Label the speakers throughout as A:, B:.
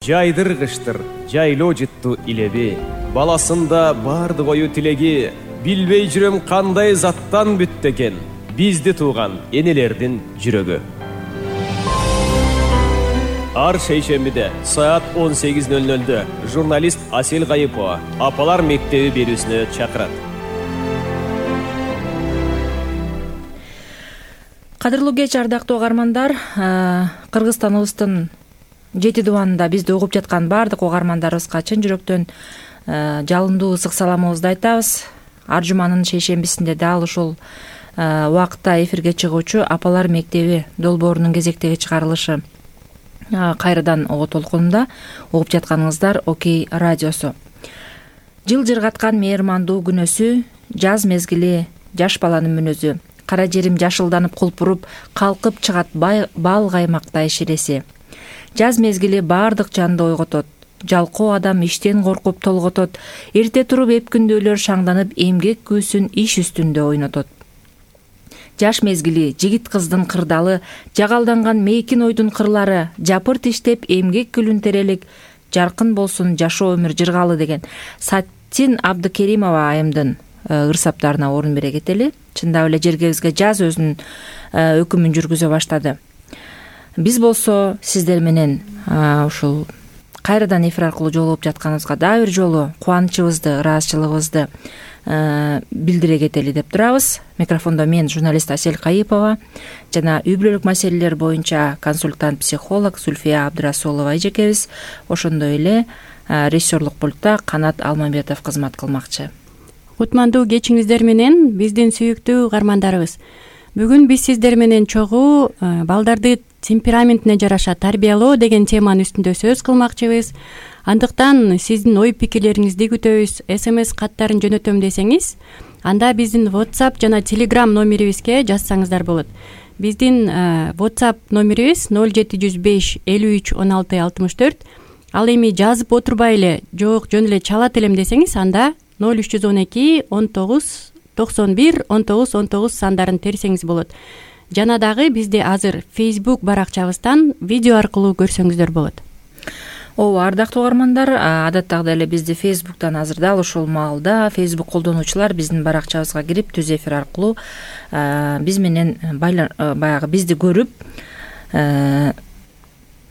A: Жайдыргыштыр, жайлоо жытту илеби, баласында барды ою тилеги, билбей жүрөм кандай заттан бүттү экен, бизди тууган энелердин жүрөгү. Ар шейшембиде саат 18:00 журналист Асель Кайыпова апалар мектеби берүүсүнө чакырат.
B: Кадырлуу кеч, ардактуу угармандар. Кыргызстаныбыздын 7 дубанында бизди угуп жаткан баардык угармандарыбызга чын жүрөктөн жалындуу ысык саламыбызды айтабыз. Ар жуманын шейшембисинде дал ушул убакытта эфирге чыгуучу апалар мектеби долбоорунун кезектеги чыгарылышы кайрадан ого толкунунда угуп жатканыңыздар Окей радиосу. Жыл жыргаткан мээрмандуу күнөсү, жаз мезгили жаш баланын мүнөзү, кара жерим жашылданып кулпуруп, калкып чыгат бал каймактай ширеси. Жаз мезгили баардык жанды ойготот, жалкоо адам иштен коркуп толготот, эрте туруп эпкүндүүлөр шаңданып эмгек күүсүн иш үстүндө ойнотот. Жаш мезгили жигит кыздын кырдалы, жагалданган мейкин ойдун кырлары, жапырт иштеп эмгек күлүн терелик, жаркын болсун жашоо өмүр жыргалы деген Сатин Абдыкеримова айымдын ырсаптарына орун бере кетели. Чындап эле жергебизге жаз өзүнүн өкүмүн жүргүзө баштады. Биз болсо сиздер менен ушул кайрадан эфир аркылуу жолугуп жатканыбызга дагы бир жолу кубанычыбызды, ыраазычылыгыбызды билдире кетели деп турабыз. Микрофондо мен, журналист Асель Кайыпова жана үй бүлөлүк маселелер боюнча консультант-психолог Зульфия Абдрасулова эжекебиз. Ошондой эле режиссерлук пультта Канат Алмамбетов кызмат кылмакчы.
C: Кутмандуу кечиңиздер менен биздин сүйүктүү угармандарыбыз. Бүгүн биз сиздер менен чогуу балдарды темпераментине жараша тарбиялоо деген теманын үстүндө сөз кылмакчыбыз. Андыктан сиздин ой пикирлериңизди күтөбүз. SMS каттарын жөнөтөм десеңиз, анда биздин WhatsApp жана Telegram номерибизге жазсаңыздар болот. Биздин WhatsApp номерибиз 0705 53 16 64. Ал эми жазып отурбай эле, жок жөн эле чалат элем десеңиз, анда 0312 19 91 19 19 сандарын терсеңиз болот. Жана дагы бизди азыр Facebook баракчабыздан видео аркылуу көрсөңүздөр болот.
B: Ооба, ардактуу угармандар, адаттагыдай эле бизди Facebook'тан азыр дал ушул маалда Facebook колдонуучулар биздин баракчабызга кирип түз эфир аркылуу биз менен баягы бизди көрүп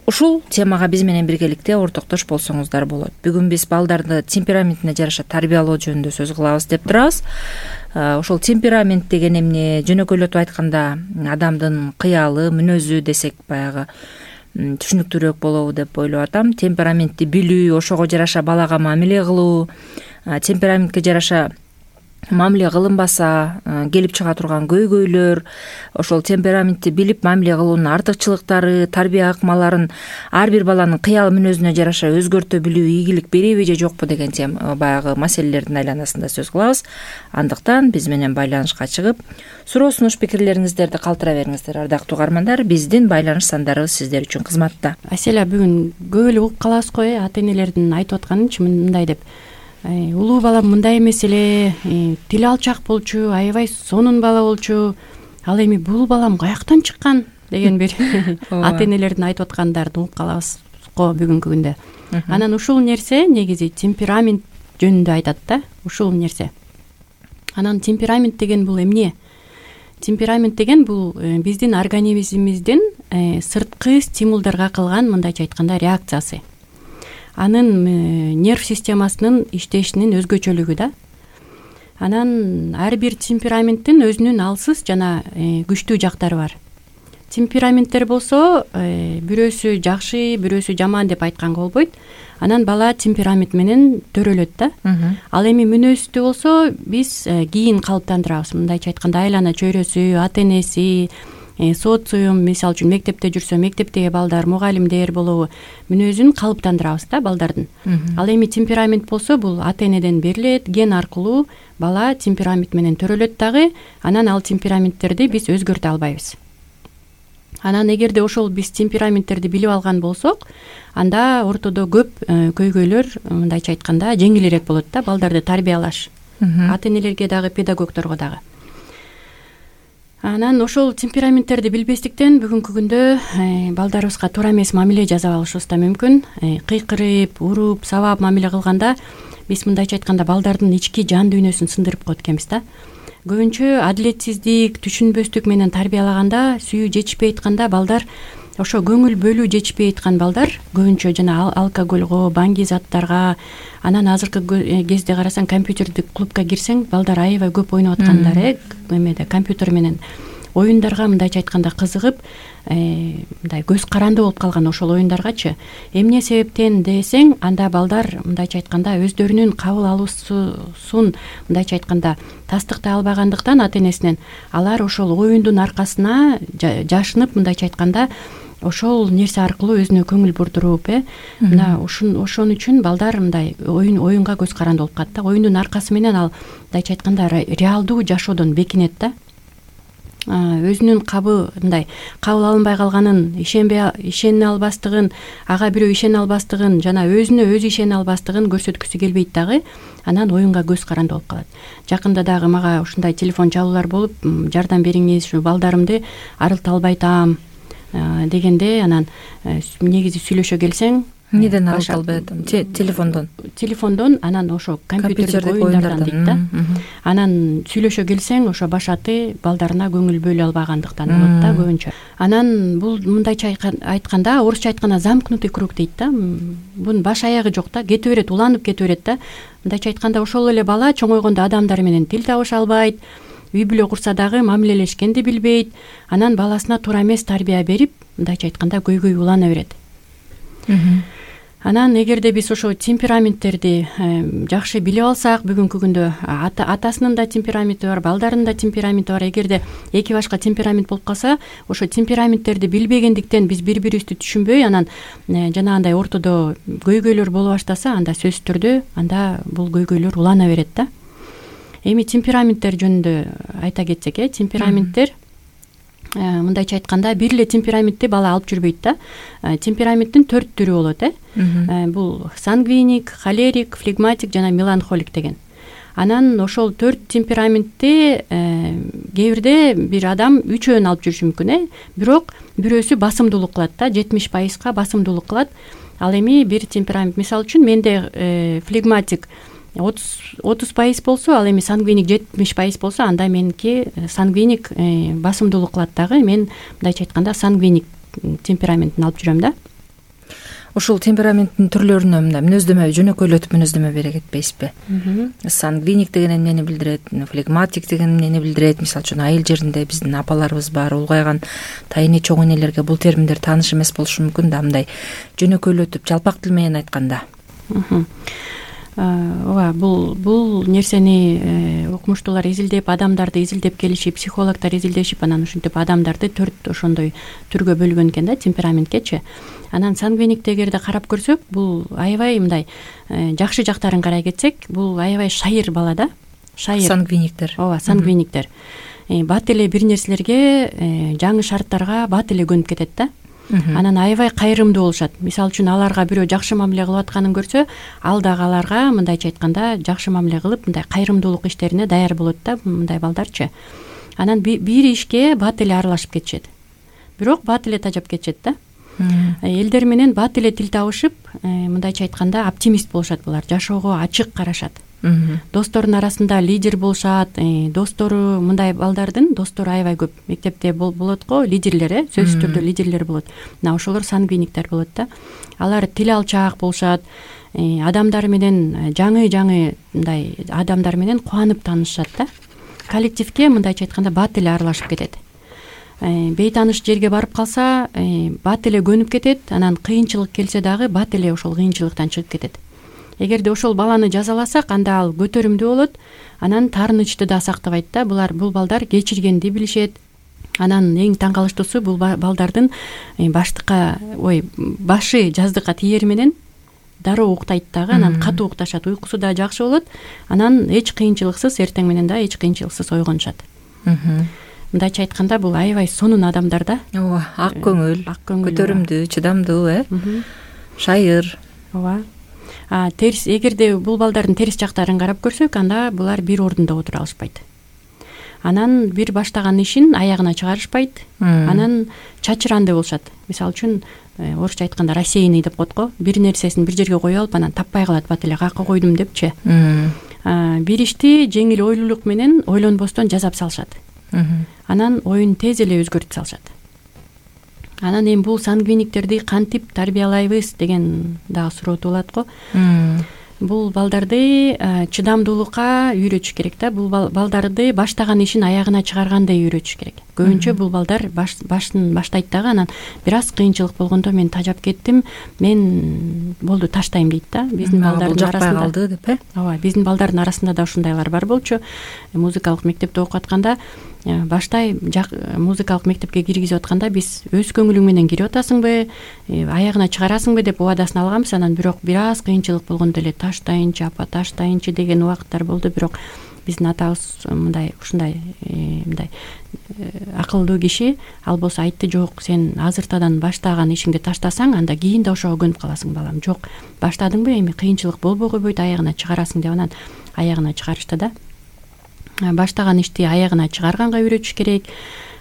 B: ушул темага биз менен биргеликте ортоктош болсоңуздар болот. Бүгүн биз балдарды темпераментине жараша тарбиялоо жөнүндө сөз кылабыз деп турабыз. Ошол темперамент деген эмне, жөнөкөйлөтүп айтканда адамдын кыялы, мүнөзү десек баягы түшүнүктүүрөөк болобу деп ойлоп атам. Темпераментти билүү, ошого жараша балага мамиле кылуу, темпераментке жараша мамиле кылынбаса келип чыга турган көйгөйлөр, ошол темпераментти билип мамиле кылуунун артыкчылыктары, тарбия ыкмаларын ар бир баланын кыял мүнөзүнө жараша өзгөртө билүү ийгилик береби же жокпу деген баягы маселелердин айланасында сөз кылабыз. Андыктан биз менен байланышка чыгып, суроо сунуш пикирлериңиздерди калтыра бериңиздер, ардактуу угармандар. Биздин байланыш сандарыбыз сиздер үчүн кызматта.
C: Аселя, бүгүн көп эле угуп калабыз го, ата энелердин айтып атканынчы мындай деп. Улуу балам мындай эмес эле, тили алчак болчу, аябай сонун бала болчу. Ал эми бул балам каяктан чыккан деген бир ата энелердин айтып аткандарын угуп калабыз го бүгүнкү күндө. Анан ушул нерсе негизи темперамент жөнүндө айтат да, ушул нерсе. Анан темперамент деген бул эмне? Темперамент деген бул биздин организмибиздин сырткы стимулдарга кылган, мындайча айтканда, реакциясы. Анын нерв системасынын иштешинин өзгөчөлүгү да. Анан ар бир темпераменттин өзүнүн алсыз жана күчтүү жактары бар. Темпераменттер болсо бирөөсү жакшы, бирөөсү жаман деп айтканга болбойт. Анан бала темперамент менен төрөлөт да. Ал эми мүнөздү болсо биз кийин калыптандырабыз. Мындайча айтканда айлана чөйрөсү, ата энеси, социум, мисалы үчүн мектепте жүрсө мектептеги балдар, мугалимдер болобу, мүнөзүн калыптандырабыз да балдардын. Ал эми темперамент болсо бул ата энеден берилет, ген аркылуу бала темперамент менен төрөлөт дагы. Анан ал темпераменттерди биз өзгөртө албайбыз. Анан эгерде ошол биз темпераменттерди билип алган болсок, анда ортодо көп көйгөйлөр, мындайча айтканда, жеңилирээк болот да, балдарды тарбиялаш. Ата энелерге дагы, педагогдорго дагы. Анан ошол темпераменттерди билбестиктен бүгүнкү күндө балдарыбызга туура эмес мамиле жасап алышыбыз да мүмкүн. Кыйкырып, уруп, сабап мамиле кылганда биз мындайча айтканда балдардын ички жан дүйнөсүн сындырып коет экенбиз да. Көбүнчө адилетсиздик, түшүнбөстүк менен тарбиялаганда, сүйүү жетишпей айтканда балдар ошо көңүл бөлүү жетишпей айткан балдар көбүнчө жана алкоголго, баңги заттарга, анан азыркы кезде карасаң компьютердик клубка кирсең балдар аябай көп ойноп аткандар эмеде компьютер менен оюндарга мындайча айтканда кызыгып, мындай көз каранды болуп калган ошол оюндаргачы. Эмне себептен десең, анда балдар мындайча айтканда өздөрүнүн кабыл алуусун мындайча айтканда тастыктай албагандыктан ата-энесинен алар ошол оюндун аркасына жашынып мындайча айтканда ошол нерсе аркылуу өзүнө көңүл бурдуруп, мына ошон үчүн балдар мындай оюнга көз каранды болуп калат да. Оюндун аркасы менен ал мындайча айтканда реалдуу жашоодон бекинет да. Өзүнүн мындай кабыл алынбай калганын, ишене албастыгын, ага бирөө ишене албастыгын жана өзүнө өзү ишене албастыгын көрсөткүсү келбейт дагы. Анан оюнга көз каранды болуп калат. Жакында дагы мага ушундай телефон чалуулар болуп, жардам бериңиз, ушу балдарымды арылта албай атам дегенде, анан негизи сүйлөшө келсең,
B: эмнеден арылта албай атам? Телефондон,
C: анан ошо компьютердик оюндардан дейт да. Анан сүйлөшө келсең, ошо башаты балдарына көңүл бөлө албагандыктан болот да көбүнчө. Анан бул мындайча айтканда, орусча айтканда замкнутый круг дейт да. Бунун баш аягы жок да, кете берет, уланып кете берет да. Мындайча айтканда ошол эле бала чоңойгондо адамдар менен тил табыша албайт, үй бүлө курса дагы мамилелешкенди билбейт. Анан баласына туура эмес тарбия берип, мындайча айтканда көйгөй улана берет. Анан эгерде биз ошо темпераменттерди жакшы билип алсак, бүгүнкү күндө атасынын да темпераменти бар, балдарынын да темпераменти бар. Эгерде эки башка темперамент болуп калса, ошо темпераменттерди билбегендиктен биз бири-бирибизди түшүнбөй, анан жанагындай ортодо көйгөйлөр боло баштаса, анда сөзсүз түрдө анда бул көйгөйлөр улана берет да. Эми темпераменттер жөнүндө айта кетсек, темпераменттер мындайча айтканда бир эле темпераментти бала алып жүрбөйт да. Темпераменттин 4 түрү болот, Бул сангвиник, холерик, флегматик жана меланхолик деген. Анан ошол 4 темпераментти кээ бирде бир адам 3-өн алып жүрүшү мүмкүн, бирок бирөөсү басымдуулук кылат да, 70% басымдуулук кылат. Ал эми бир темперамент, мисалы үчүн менде флегматик 30% болсо, ал эми сангвиник 70% болсо, анда меники сангвиник басымдуулук кылат дагы. Мен мындайча айтканда сангвиник темпераментин алып жүрөм да.
B: Ушул темпераменттин түрлөрүнө мындай мүнөздөмө жөнөкөйлөтүп мүнөздөмө бере кетпейсизби? Сангвиник деген эмнени билдирет, флегматик деген эмнени билдирет? Мисалы үчүн айыл жеринде биздин апаларыбыз бар, улгайган тайыны чоң энелерге бул терминдер тааныш эмес болушу мүмкүн да, мындай жөнөкөйлөтүп жалпак тил менен айтканда.
C: Ооба, бул нерсени окумуштуулар изилдеп, адамдарды изилдеп келишип, психологдор изилдешип, анан ушинтип адамдарды 4 ошондой түргө бөлгөн экен да, темпераменткечи. Анан сангвиникти эгерде карап көрсөк, бул аябай мындай жакшы жактарын карай кетсек, бул аябай шайыр бала да. Шайыр.
B: Сангвиниктер.
C: Ооба, сангвиниктер. Бат эле бир нерселерге, жаңы шарттарга бат эле көнүп кетет да. Анан аябай кайрымдуу болушат. Мисалы үчүн аларга бирөө жакшы мамиле кылып атканын көрсө, ал дагы аларга мындайча айтканда жакшы мамиле кылып, мындай кайрымдуулук иштерине даяр болот да, мындай балдарчы. Анан бир ишке бат эле аралашып кетишет. Бирок бат эле тажап кетишет да. Элдер менен бат эле тил табышып, мындайча айтканда оптимист болушат булар, жашоого ачык карашат. Досторунун арасында лидер болушат, достору, мындай балдардын достору аябай көп. Мектепте болот го лидерлер, сөзсүз түрдө лидерлер болот. Мына ошолор сангвиниктер болот да. Алар тил алчаак болушат, адамдар менен жаңы мындай адамдар менен кубанып таанышышат да. Коллективге мындайча айтканда бат эле аралашып кетет. Бейтаныш жерге барып калса, бат эле көнүп кетет, анан кыйынчылык келсе дагы бат эле ошол кыйынчылыктан чыгып кетет. Эгерде ошол баланы жазаласак, анда ал көтөрүмдүү болот, анан таарынычты да сактабайт да. Бул балдар кечиргенди билишет. Анан эң таң калыштуусу бул балдардын башы жаздыкка тиер менен дароо уктайт дагы, анан катуу укташат, уйкусу да жакшы болот. Анан эч кыйынчылыксыз, эртең менен да эч кыйынчылыксыз ойгонушат. Мындайча айтканда бул аябай сонун адамдар да.
B: Ооба, ак көңүл, көтөрүмдүү, чыдамдуу, шайыр.
C: Ооба. Терс, эгерде бул балдардын терс жактарын карап көрсөк, анда булар бир ордунда отура алышпайт. анан бир баштаган ишин аягына чыгарышпайт, анан чачырандуу болушат. Мисалы үчүн орусча айтканда рассеянный деп коет го, бир нерсесин бир жерге кое алып анан таппай калат, бат эле каякка койдум депчи. Бир ишти жеңил ойлуулук менен ойлонбостон жасап салышат. Анан оюн тез эле өзгөртүп салышат. Анан эми бул сангвиниктерди кантип тарбиялайбыз деген дагы суроо туулат го. Бул балдарды чыдамдуулукка үйрөтүш керек да. Бул балдарды баштаган ишин аягына чыгаргандай үйрөтүш керек. Көбүнчө бул балдар башын баштайт дагы, анан бир аз кыйынчылык болгондо мен тажап кеттим, мен болду таштайм дейт да. Биздин балдардын арасында калды деп, ооба, биздин балдардын арасында да ушундайлар бар болчу. Музыкалык мектепте окуп атканда баштай музыкалык мектепке киргизип атканда биз өз көңүлүң менен кирип атасыңбы, аягына чыгарасыңбы деп убадасын алганбыз. Анан бирок бир аз кыйынчылык болгондо эле таштайынчы апа, таштайынчы деген убакыттар болду. Бирок биздин атабыз ушундай акылдуу киши, ал болсо айтты, жок, сен азыртадан баштаган ишиңди таштасаң, анда кийин да ошого көнүп каласың балам. Жок, баштадыңбы, эми кыйынчылык болбой койбойт, аягына чыгарасың деп анан аягына чыгарышты да. Баштаган ишти аягына чыгарганга үйрөтүш керек.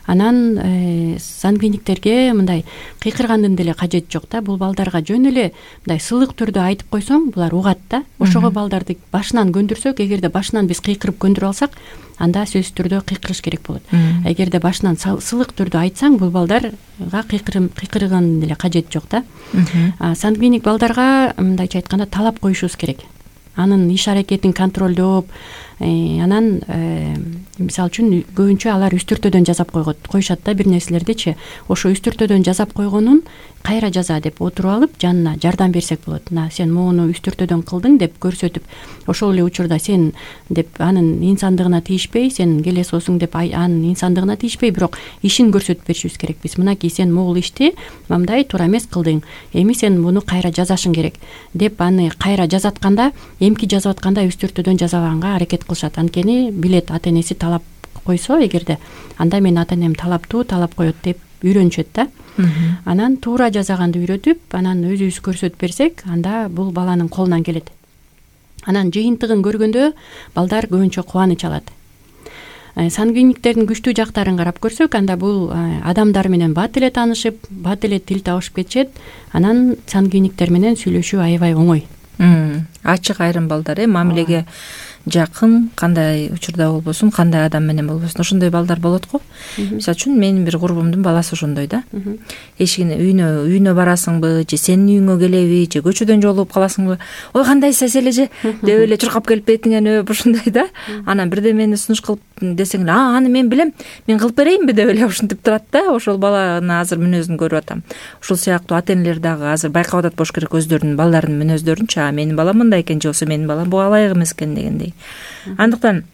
C: Анан сангвиниктерге мындай кыйкыргандын деле кажети жок да. Бул балдарга жөн эле мындай сылык түрдө айтып койсоң, булар угат да. Ошого балдарды башынан көндүрсөк, эгерде башынан биз кыйкырып көндүрүп алсак, анда сөзсүз түрдө кыйкырыш керек болот. Эгерде башынан сылык түрдө айтсаң, бул балдарга кыйкыргандын деле кажети жок да. Сангвиник балдарга мындайча айтканда талап коюшубуз керек. Анын иш аракетин контролдоп, анан мисалы үчүн көбүнчө алар үстүртөдөн жазап коюшат да бир нерселердичи. Ошо үстүртөдөн жазап койгонун кайра жаза деп отуруп алып, жанына жардам берсек болот. Мына сен моуну үстүртөдөн кылдың деп көрсөтүп, ошол эле учурда сен деп анын инсандыгына тийишпей, сен келесосуң деп анын инсандыгына тийишпей, бирок ишин көрсөтүп беришибиз керек. Биз мынакей сен могул ишти мындай туура эмес кылдың, эми сен муну кайра жазашың керек деп аны кайра жазатканда, эмки жазып атканда үстүртөдөн жазабаганга аракет кылышат. Анткени билет, ата энеси талап койсо эгерде, анда мен ата энем талаптуу, талап коет деп үйрөнүшөт да. Анан туура жазаганды үйрөтүп, анан өзүбүз көрсөтүп берсек, анда бул баланын колунан келет. Анан жыйынтыгын көргөндө балдар көбүнчө кубаныч алат. Сангвиниктердин күчтүү жактарын карап көрсөк, анда бул адамдар менен бат эле таанышып, бат эле тил табышып кетишет. Анан сангвиниктер менен сүйлөшүү аябай оңой.
B: Ачык айрым балдар, мамилеге жакын, кандай учурда болбосун, кандай адам менен болбосун, ошондой балдар болот го. Мисалы үчүн менин бир курбумдун баласы ошондой да. Эшигине үйүнө барасыңбы, же сенин үйүңө келеби, же көчөдөн жолугуп каласыңбы, ой кандайсыз эле же деп эле чуркап келип бетиңен өп ушундай да. Анан бирдемени сунуш кылып десең эле, аны мен билем, мен кылып берейинби деп эле ушинтип турат да. Ошол баланы азыр мүнөзүн көрүп атам. Ушул сыяктуу ата энелер дагы азыр байкап атат болуш керек өздөрүнүн балдарынын мүнөздөрүнчү. Менин балам мындай экен, же болбосо менин балам буга ылайык эмес экен дегендей. Андыктан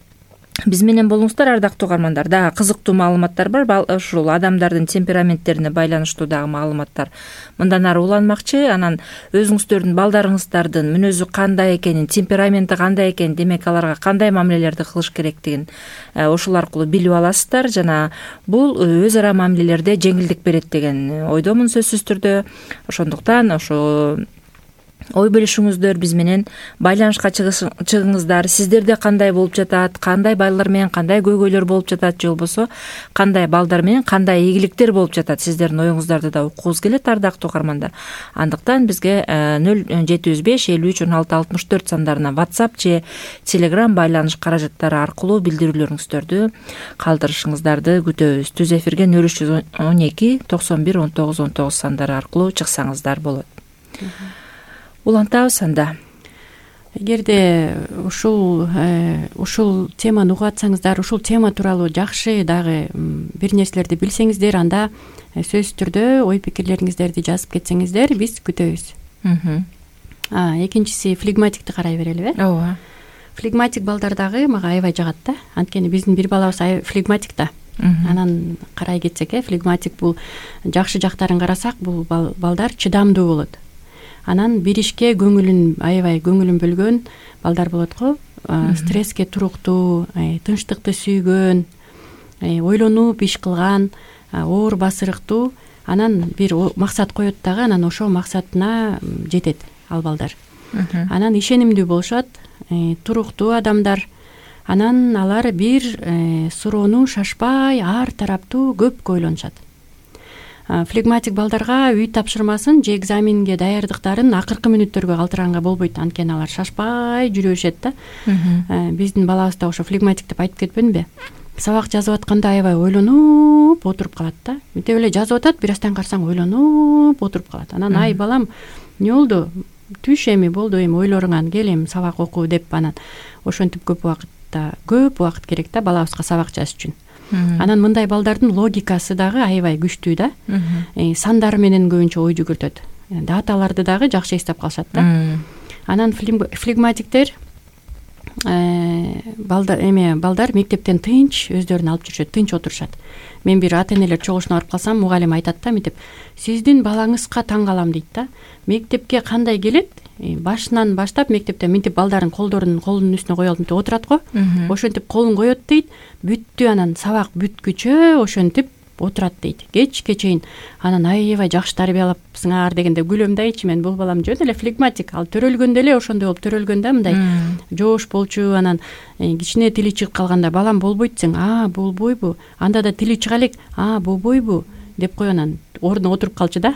B: биз менен болуңуздар, ардактуу угармандар. Дагы кызыктуу маалыматтар бар. Ушул адамдардын темпераменттерине байланыштуу дагы маалыматтар мындан ары уланмакчы. Анан өзүңүздөрдүн балдарыңыздардын мүнөзү кандай экенин, темпераменти кандай экенин, демек аларга кандай мамилелерди кылыш керектигин ошол аркылуу билип аласыздар. Жана бул өз ара мамилелерде жеңилдик берет деген ойдомун сөзсүз түрдө. Ошондуктан ошо ой бөлүшүңүздөр, биз менен байланышка чыгыңыздар. Сиздерде кандай болуп жатат, кандай балдар менен кандай көйгөйлөр болуп жатат, же болбосо кандай балдар менен кандай ийгиликтер болуп жатат, сиздердин оюңуздарды да уккубуз келет, ардактуу угармандар. Андыктан бизге 0705 53 16 64 сандарына WhatsApp же Telegram байланыш каражаттары аркылуу билдирүүлөрүңүздөрдү калтырышыңыздарды күтөбүз. Түз эфирге 0312 91 19 19 сандары аркылуу чыксаңыздар болот. Улантабыз анда.
C: Эгерде ушул теманы угуп атсаңыздар, ушул тема тууралуу жакшы дагы бир нерселерди билсеңиздер, анда сөзсүз түрдө ой пикирлериңиздерди жазып кетсеңиздер, биз күтөбүз. Экинчиси флегматикти карай берелиби?
B: Ооба.
C: Флегматик балдар дагы мага аябай жагат да. Анткени биздин бир балабыз флегматик да. Анан карай кетсек, флегматик бул жакшы жактарын карасак, бул балдар чыдамдуу болот. Анан бир ишке аябай көңүлүн бөлгөн балдар болот го. Стресске туруктуу, тынчтыкты сүйгөн, ойлонуп иш кылган, оор басырыктуу. Анан бир максат коет дагы, анан ошол максатына жетет ал балдар. Анан ишенимдүү болушат, туруктуу адамдар. Анан алар бир суроону шашпай ар тараптуу көпкө ойлонушат. Флегматик балдарга үй тапшырмасын же экзаменге даярдыктарын акыркы мүнөттөргө калтыранга болбойт, анткени алар шашпай жүрө беришет да. Биздин балабыз да ошо флегматик деп айтып кетпедимби? Сабак жазып атканда аябай ойлонуп отуруп калат да. Мынтип эле жазып атат, бир аздан карасаң ойлонуп отуруп калат. Анан ай балам, эмне болду? Түш эми болду, эми ойлоруңан кел, эми сабак оку деп анан ошентип көп убакыт керек да балабызга сабак жазыш үчүн. Анан мындай балдардын логикасы дагы аябай күчтүү да. Сандар менен көбүнчө ой жүгүртөт. Даталарды дагы жакшы эстеп калышат да. Анан флегматиктер балдар мектептен тынч өздөрүн алып жүрүшөт, тынч отурушат. Мен бир ата-энелер чогулушуна барып калсам, мугалим айтат да, мынтип: "Сиздин балаңызга таң калам" дейт да. Мектепке кандай келет? Башынан баштап мектепте мынтип балдардын колунун үстүнө коюп алып мынтип отурат го. Ошентип колун коет дейт. Бүттү, анан сабак бүткүчө ошентип отурат дейт. Кечке чейин. Анан аябай жакшы тарбиялапсыңар дегенде күлөм да ичимен. Бул балам жөн эле флегматик. Ал төрөлгөндө эле ошондой болуп төрөлгөн да, мындай жоош болчу. Анан кичине тили чыгып калганда: "Балам, болбойт сен." Болбойбу? Анда да тили чыга элек. Болбойбу?" деп коюп анан ордуна отуруп калчу да.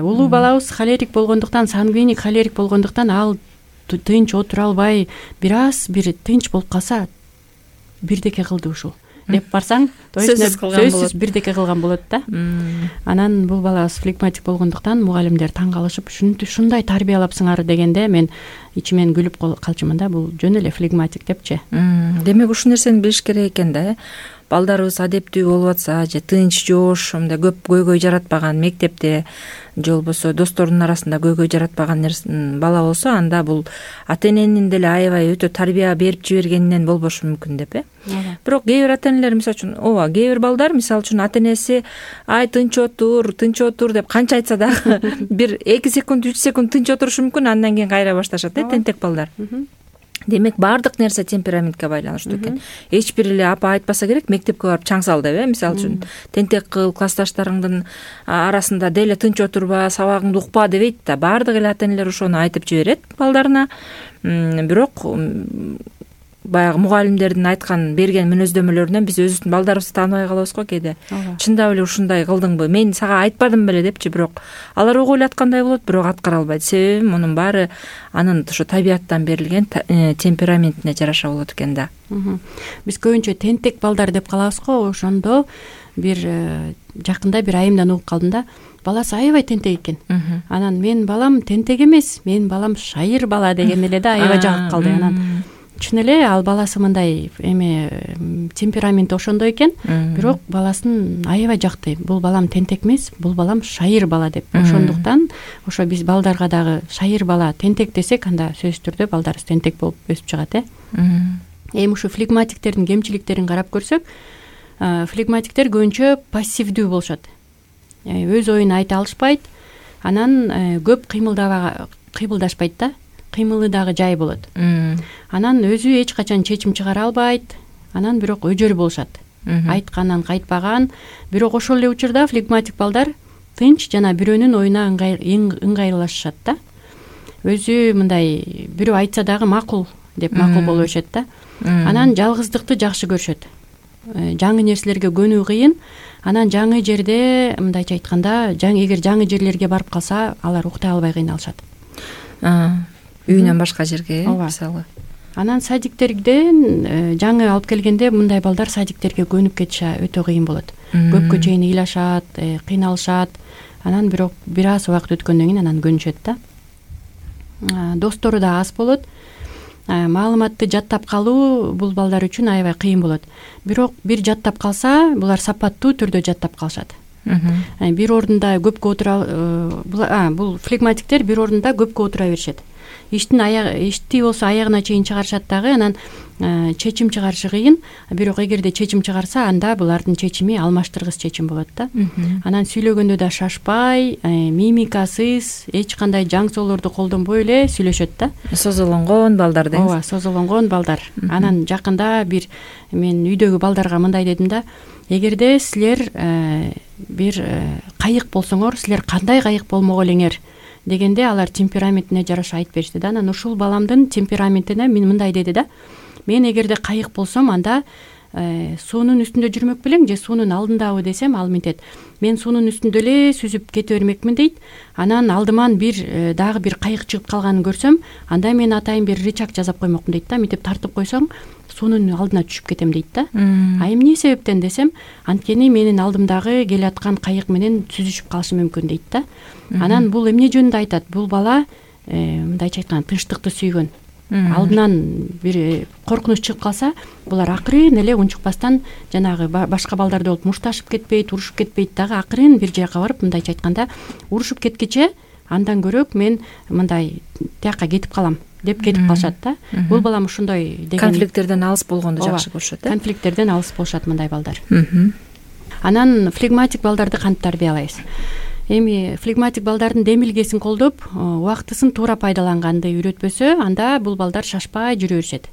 C: Улуу балабыз холерик болгондуктан, сангвиник холерик болгондуктан ал тынч отура албай, бир тынч болуп калса, бирдеке кылды ушул деп барсаң, сөзсүз бирдеке кылган болот да. Анан бул балабыз флегматик болгондуктан мугалимдер таң калышып, "Ушундай тарбиялапсыңар" дегенде мен ичимен күлүп калчумун да. Бул жөн эле флегматик депчи.
B: Демек ушул нерсени билиш керек экен да. Балдарыбыз адептүү болуп атса, же тынч, жоош, мындай көп көйгөй жаратпаган мектепте же болбосо досторунун арасында көйгөй жаратпаган бала болсо, анда бул ата-эненин деле аябай өтө тарбия берип жибергенинен болбошу мүмкүн деп. Бирок кээ бир ата-энелер мисалы үчүн, кээ бир балдар мисалы үчүн ата-энеси "Ай, тынч отур" деп канча айтса дагы бир 2 секунд, 3 секунд тынч отурушу мүмкүн, андан кийин кайра башташат, тентек балдар. Демек баардык нерсе темпераментке байланыштуу экен. Эч бир эле апа айтпаса керек, мектепке барып чаң сал деп, мисалы үчүн тентек кыл, классташтарыңдын арасында деле тынч отурба, сабагыңды укпа дебейт да. Баардык эле ата-энелер ошону айтып жиберет балдарына. Бирок баягы мугалимдердин берген мүнөздөмөлөрүнөн биз өзүбүздүн балдарыбызды тааныбай калабыз го кээде. Чындап эле ушундай кылдыңбы? Мен сага айтпадым беле депчи, бирок алар ого ойлоткандай болот, бирок аткара албайт. Себеби мунун баары анын ошо табияттан берилген темпераментине жараша болот экен да.
C: Биз көбүнчө тентек балдар деп калабыз го. Ошондо бир жакында бир айымдан угуп калдым да. Баласы аябай тентек экен. Анан "Мен балам тентек эмес, мен балам шайыр бала" деген эле да, аябай жагып калды. Анан чын эле ал баласы мындай темпераменти ошондой экен, бирок баласын аябай жакты. Бул балам тентек эмес, бул балам шайыр бала деп. Ошондуктан ошо биз балдарга дагы шайыр бала, тентек десек, анда сөзсүз түрдө балдарыбыз тентек болуп өсүп чыгат. Эми ушу флегматиктердин кемчиликтерин карап көрсөк, флегматиктер көбүнчө пассивдүү болушат. Өз оюн айта алышпайт, анан көп кыймылдашпайт да. Кыймылы дагы жай болот. Анан өзү эч качан чечим чыгара албайт. Анан бирок өжөр болушат. Айткандан кайтпаган. Бирок ошол эле учурда флегматик балдар тынч жана бирөөнүн оюна ыңгайлашышат да. Өзү мындай бирөө айтса дагы макул деп макул боло беришет да. Анан жалгыздыкты жакшы көрүшөт. Жаңы нерселерге көнүү кыйын. Анан жаңы жерде, мындайча айтканда, эгер жаңы жерлерге барып калса, алар уктай албай кыйналышат.
B: Үйүнөн башка жерге, мисалы.
C: Анан садиктерден жаңы алып келгенде мындай балдар садиктерге көнүп кетиши өтө кыйын болот. Көпкө чейин ыйлашат, кыйналышат. Анан бирок бир аз убакыт өткөндөн кийин анан көнүшөт да. Достору да аз болот. Маалыматты жаттап калуу бул балдар үчүн аябай кыйын болот. Бирок бир жаттап калса, булар сапаттуу түрдө жаттап калышат. Бир ордунда көпкө отура, бул флегматиктер бир ордунда көпкө отура беришет. Ишти болсо аягына чейин чыгарышат дагы, анан чечим чыгарышы кыйын. Бирок эгерде чечим чыгарса, анда булардын чечими алмаштыргыс чечим болот да. Анан сүйлөгөндө да шашпай, мимикасыз, эч кандай жаң соолорду колдонбой эле сүйлөшөт да.
B: Созолонгон балдар дейсиз.
C: Ооба, созолонгон балдар. Анан жакында мен үйдөгү балдарга мындай дедим да: эгерде силер бир кайык болсоңор, силер кандай кайык болмок элеңер дегенде, алар темпераментине жараша айтып беришти да. Анан ушул баламдын темпераментине мен мындай деди да: мен эгерде кайык болсом анда суунун үстүндө жүрмөк белең же суунун алдындабы десем, ал мынтет: мен суунун үстүндө эле сүзүп кете бермекмин дейт. Анан алдыман дагы бир кайык чыгып калганын көрсөм, анда мен атайын бир рычаг жасап коймокмун дейт да. Мынтип тартып койсоң, суунун алдына түшүп кетем дейт да. А эмне себептен десем, анткени менин алдымдагы келаткан кайык менен сүзүшүп калышы мүмкүн дейт да. Анан бул эмне жөнүндө айтат? Бул бала мындайча айтканда тынчтыкты сүйгөн. Алдынан бир коркунуч чыгып калса, булар акырын эле унчукпастан жанагы башка балдардай болуп мушташып кетпейт, урушуп кетпейт дагы, акырын бир жака барып, мындайча айтканда, урушуп кеткиче андан көрөк мен мындай тияка кетип калам деп кетип калышат да. Бул балам ушундой деген
B: конфликттерден алыс болгонду жакшы көрүшөт.
C: Конфликттерден алыс болушат мындай балдар. Анан флегматик балдарды кантип тарбиялайбыз? Эми флегматик балдардын демилгесин колдоп, убактысын туура пайдаланганды үйрөтпөсө, анда бул балдар шашпай жүрө беришет.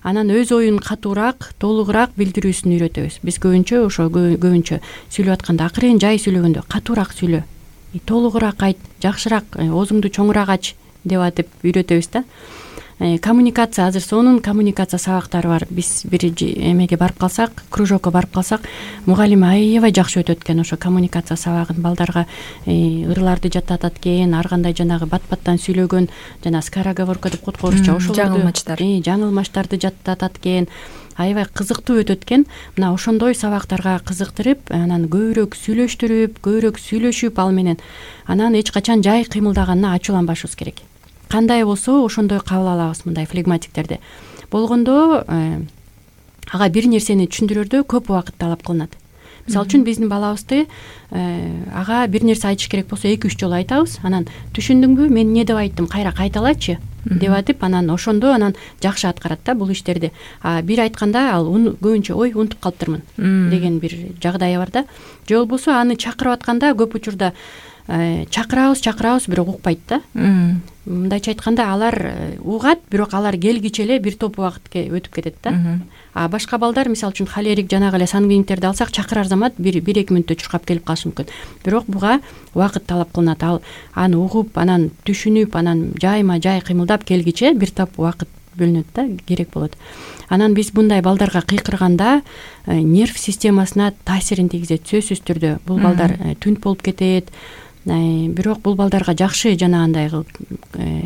C: Анан өз оюн катуураак, толугураак билдирүүсүн үйрөтөбүз. Биз көбүнчө сүйлөп атканда акырын жай сүйлөгөндө катуураак сүйлө, толугураак айт, жакшыраак, оозуңду чоңураак ач деп атып үйрөтөбүз да. Коммуникация, азыр сонун коммуникация сабактары бар. Биз бир эмеге барып калсак, кружокко барып калсак, мугалим аябай жакшы өтөт экен ошо коммуникация сабагын. Балдарга ырларды жаттатат экен, ар кандай жанагы бат-баттан сүйлөгөн, жана скороговорка деп коет орусча, жаңылмаштарды жаттатат экен. Аябай кызыктуу өтөт экен. Мына ошондой сабактарга кызыктырып, анан көбүрөөк сүйлөштүрүп, көбүрөөк сүйлөшүп ал менен, анан эч качан жай кыймылдаганына ачууланбашыбыз керек. Кандай болсо ошондой кабыл алабыз мындай флегматиктерди. Болгондо ага бир нерсени түшүндүрөрдө көп убакыт талап кылынат. Мисалы үчүн биздин балабызды ага бир нерсе айтыш керек болсо 2-3 жолу айтабыз. Анан түшүндүңбү, мен эмне деп айттым, кайра кайталачы деп атып, анан ошондо жакшы аткарат да бул иштерди. Бир айтканда ал көбүнчө ой унутуп калыптырмын деген бир жагдайы бар да. Же болбосо аны чакырып атканда көп учурда чакырабыз, бирок укпайт да. Мындайча айтканда, алар угат, бирок алар келгиче эле бир топ убакыт өтүп кетет да. А башка балдар, мисалы үчүн холерик, жанагы эле сангвиниктерди алсак, чакырар замат 1-2 мүнөттө чуркап келип калышы мүмкүн. Бирок буга убакыт талап кылынат. Ал аны угуп, анан түшүнүп, анан жайма-жай кыймылдап келгиче бир топ убакыт бөлүнөт да, керек болот. Анан биз мындай балдарга кыйкырганда нерв системасына таасирин тийгизет сөзсүз түрдө. Бул балдар түнт болуп кетет. Бирок бул балдарга жакшы жанагындай кылып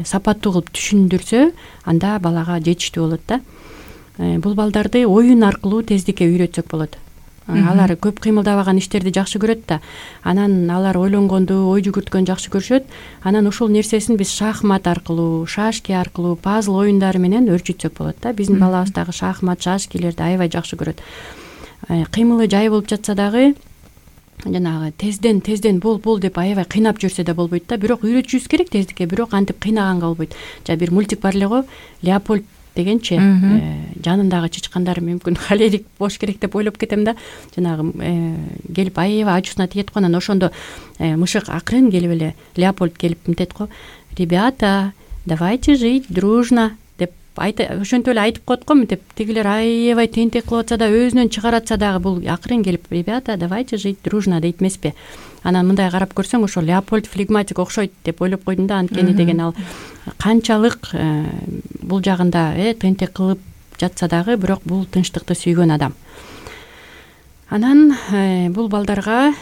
C: сапаттуу кылып түшүндүрсө, анда балага жетиштүү болот да. Бул балдарды оюн аркылуу тездикке үйрөтсөк болот. Алар көп кыймылдабаган иштерди жакшы көрөт да. Анан алар ойлонгонду, ой жүгүрткөндү жакшы көрүшөт. Анан ушул нерсесин биз шахмат аркылуу, шашки аркылуу, пазл оюндары менен өрчүтсөк болот да. Биздин балабыз дагы шахмат, шашкилерди аябай жакшы көрөт. Кыймылы жай болуп жатса дагы, жанагы тезден бол деп аябай кыйнап жүрсө да болбойт да. Бирок үйрөтүшүбүз керек тездикке, бирок антип кыйнаганга болбойт. Бир мультик бар эле го, Леопольд дегенчи, жанындагы чычкандар мүмкүн холерик болуш керек деп ойлоп кетем да. Жанагы келип аябай ачуусуна тиет го, анан ошондо мышык акырын келип эле Леопольд келип мынтет го: "Ребята, давайте жить дружно" деп ошентип эле айтып коет го. Мынтип тигилер аябай тентек кылып атса да, өзүнөн чыгаратса дагы бул акырын келип: "Ребята, давайте жить дружно" дейт эмеспи? Анан мындай карап көрсөң, ошо Леопольд флегматик окшойт деп ойлоп койдум да. Анткени деген ал канчалык бул жагында тентек кылып жатса дагы, бирок бул тынчтыкты сүйгөн адам. Анан бул балдарга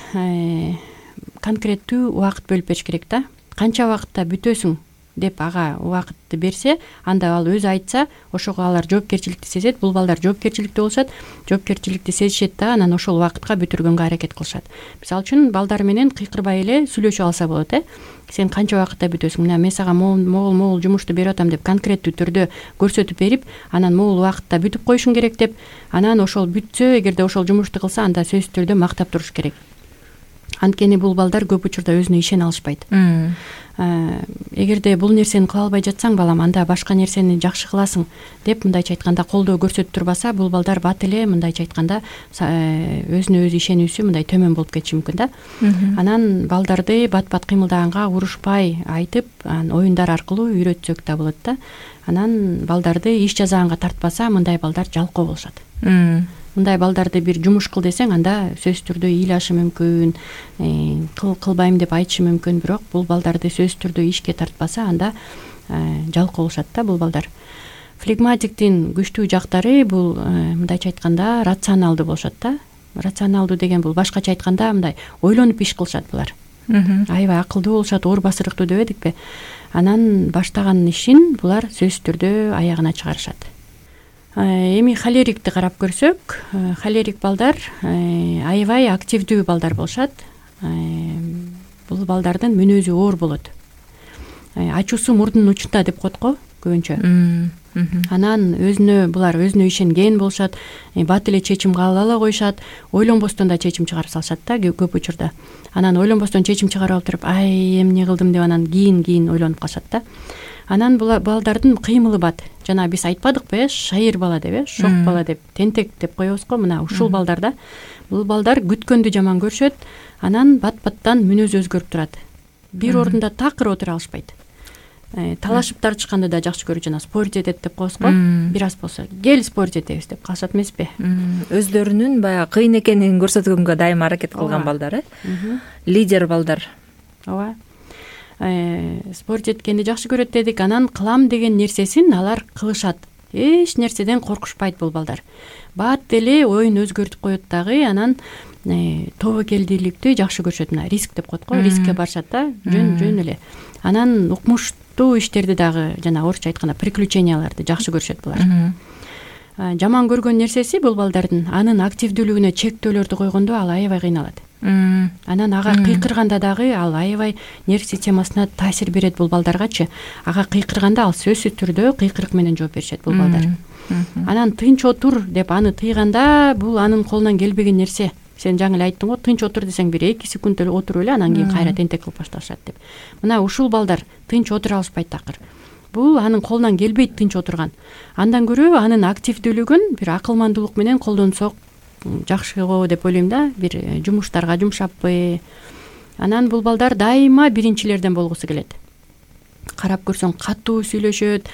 C: конкреттүү убакыт бөлүп бериш керек да. Канча убакытта бүтөсүң деп ага убакытты берсе, анда ал өзү айтса, ошого алар жоопкерчиликти сезет. Бул балдар жоопкерчиликтүү болушат, жоопкерчиликти сезишет да, анан ошол убакытка бүтүргөнгө аракет кылышат. Мисалы үчүн балдар менен кыйкырбай эле сүйлөшүп алса болот. Сен канча убакытта бүтөсүң? Мен сага могул жумушту берип атам деп конкреттүү түрдө көрсөтүп берип, анан могул убакытта бүтүп коюшуң керек деп, анан ошол бүтсө, эгерде ошол жумушту кылса, анда сөзсүз түрдө мактап туруш керек. Анткени бул балдар көп учурда өзүнө ишене алышпайт. Эгерде бул нерсени кыла албай жатсаң, балам, анда башка нерсени жакшы кыласың деп мындайча айтканда колдоо көрсөтүп турбаса, бул балдар бат эле мындайча айтканда өзүнө өзү ишенүүсү мындай төмөн болуп кетиши мүмкүн да. Анан балдарды бат-бат кыймылдаганга урушпай айтып, оюндар аркылуу үйрөтсөк да болот да. Анан балдарды иш жазаганга тартпаса, мындай балдар жалкоо болушат. Мындай балдарды бир жумуш кыл десең, анда сөзсүз түрдө ыйлашы мүмкүн, кылбайм деп айтышы мүмкүн, бирок бул балдарды сөзсүз түрдө ишке тартпаса, анда жалкоо болушат да бул балдар. флегматиктин күчтүү жактары бул мындайча айтканда рационалдуу болушат да. Рационалдуу деген бул башкача айтканда мындай ойлонуп иш кылышат булар. Аябай акылдуу болушат, оор басырыктуу дебедикпи? Анан баштаган ишин булар сөзсүз түрдө аягына чыгарышат. Эми холерикти карап көрсөк, холерик балдар аябай активдүү балдар болушат. Бул балдардын мүнөзү оор болот. Ачуусу мурдунун учунда деп коет го көбүнчө. Анан булар өзүнө ишенген болушат, бат эле чечим кабыл ала коюшат, ойлонбостон да чечим чыгарып салышат да көп учурда. Анан ойлонбостон чечим чыгарып алып туруп, эмне кылдым деп анан кийин ойлонуп калышат да. Анан бул балдардын кыймылы бат. Жана биз айтпадыкпы, шайыр бала деп, шок бала деп, тентек деп коебуз го. Мына ушул балдарда бул балдар күткөндү жаман көрүшөт, анан бат-баттан мүнөзү өзгөрүп турат. Бир ордунда такыр отура алышпайт. Талашып тартышканды да жакшы көрүп, жана спорить этет деп коебуз го. Бир аз болсо кел спорить этебиз деп калышат эмеспи?
B: Өздөрүнүн баягы кыйын экенин көрсөткөнгө дайыма аракет кылган балдар, лидер балдар.
C: Ооба. Спорить эткенди жакшы көрөт дедик. Анан кылам деген нерсесин алар кылышат. Эч нерседен коркушпайт бул балдар. Бат эле оюн өзгөртүп коет дагы, анан тобокелдүүлүктү жакшы көрүшөт. Мына риск деп коет го, рискке барышат да, жөн эле. Анан укмуштуу иштерди дагы, жана орусча айтканда приключенияларды жакшы көрүшөт булар. Жаман көргөн нерсеси бул балдардын анын активдүүлүгүнө чектөөлөрдү койгондо ал аябай кыйналат. Анан ага кыйкырганда дагы ал аябай нерв системасына таасир берет бул балдаргачы. Ага кыйкырганда ал сөзсүз түрдө кыйкырык менен жооп беришет бул балдар. Анан тынч отур деп аны тыйганда бул анын колунан келбеген нерсе. Сен жаңы эле айттың го, тынч отур десең бир 2 секунд эле отуруп эле анан кийин кайра тентек кылып башташат деп. Мына ушул балдар тынч отура алышпайт такыр. Бул анын колунан келбейт тынч отурган. Андан көрө анын активдүүлүгүн бир акылмандуулук менен колдонсок жакшы го деп ойлойм да. Бир жумуштарга жумшаппы. Анан бул балдар дайыма биринчилерден болгусу келет. Карап көрсөң катуу сүйлөшөт,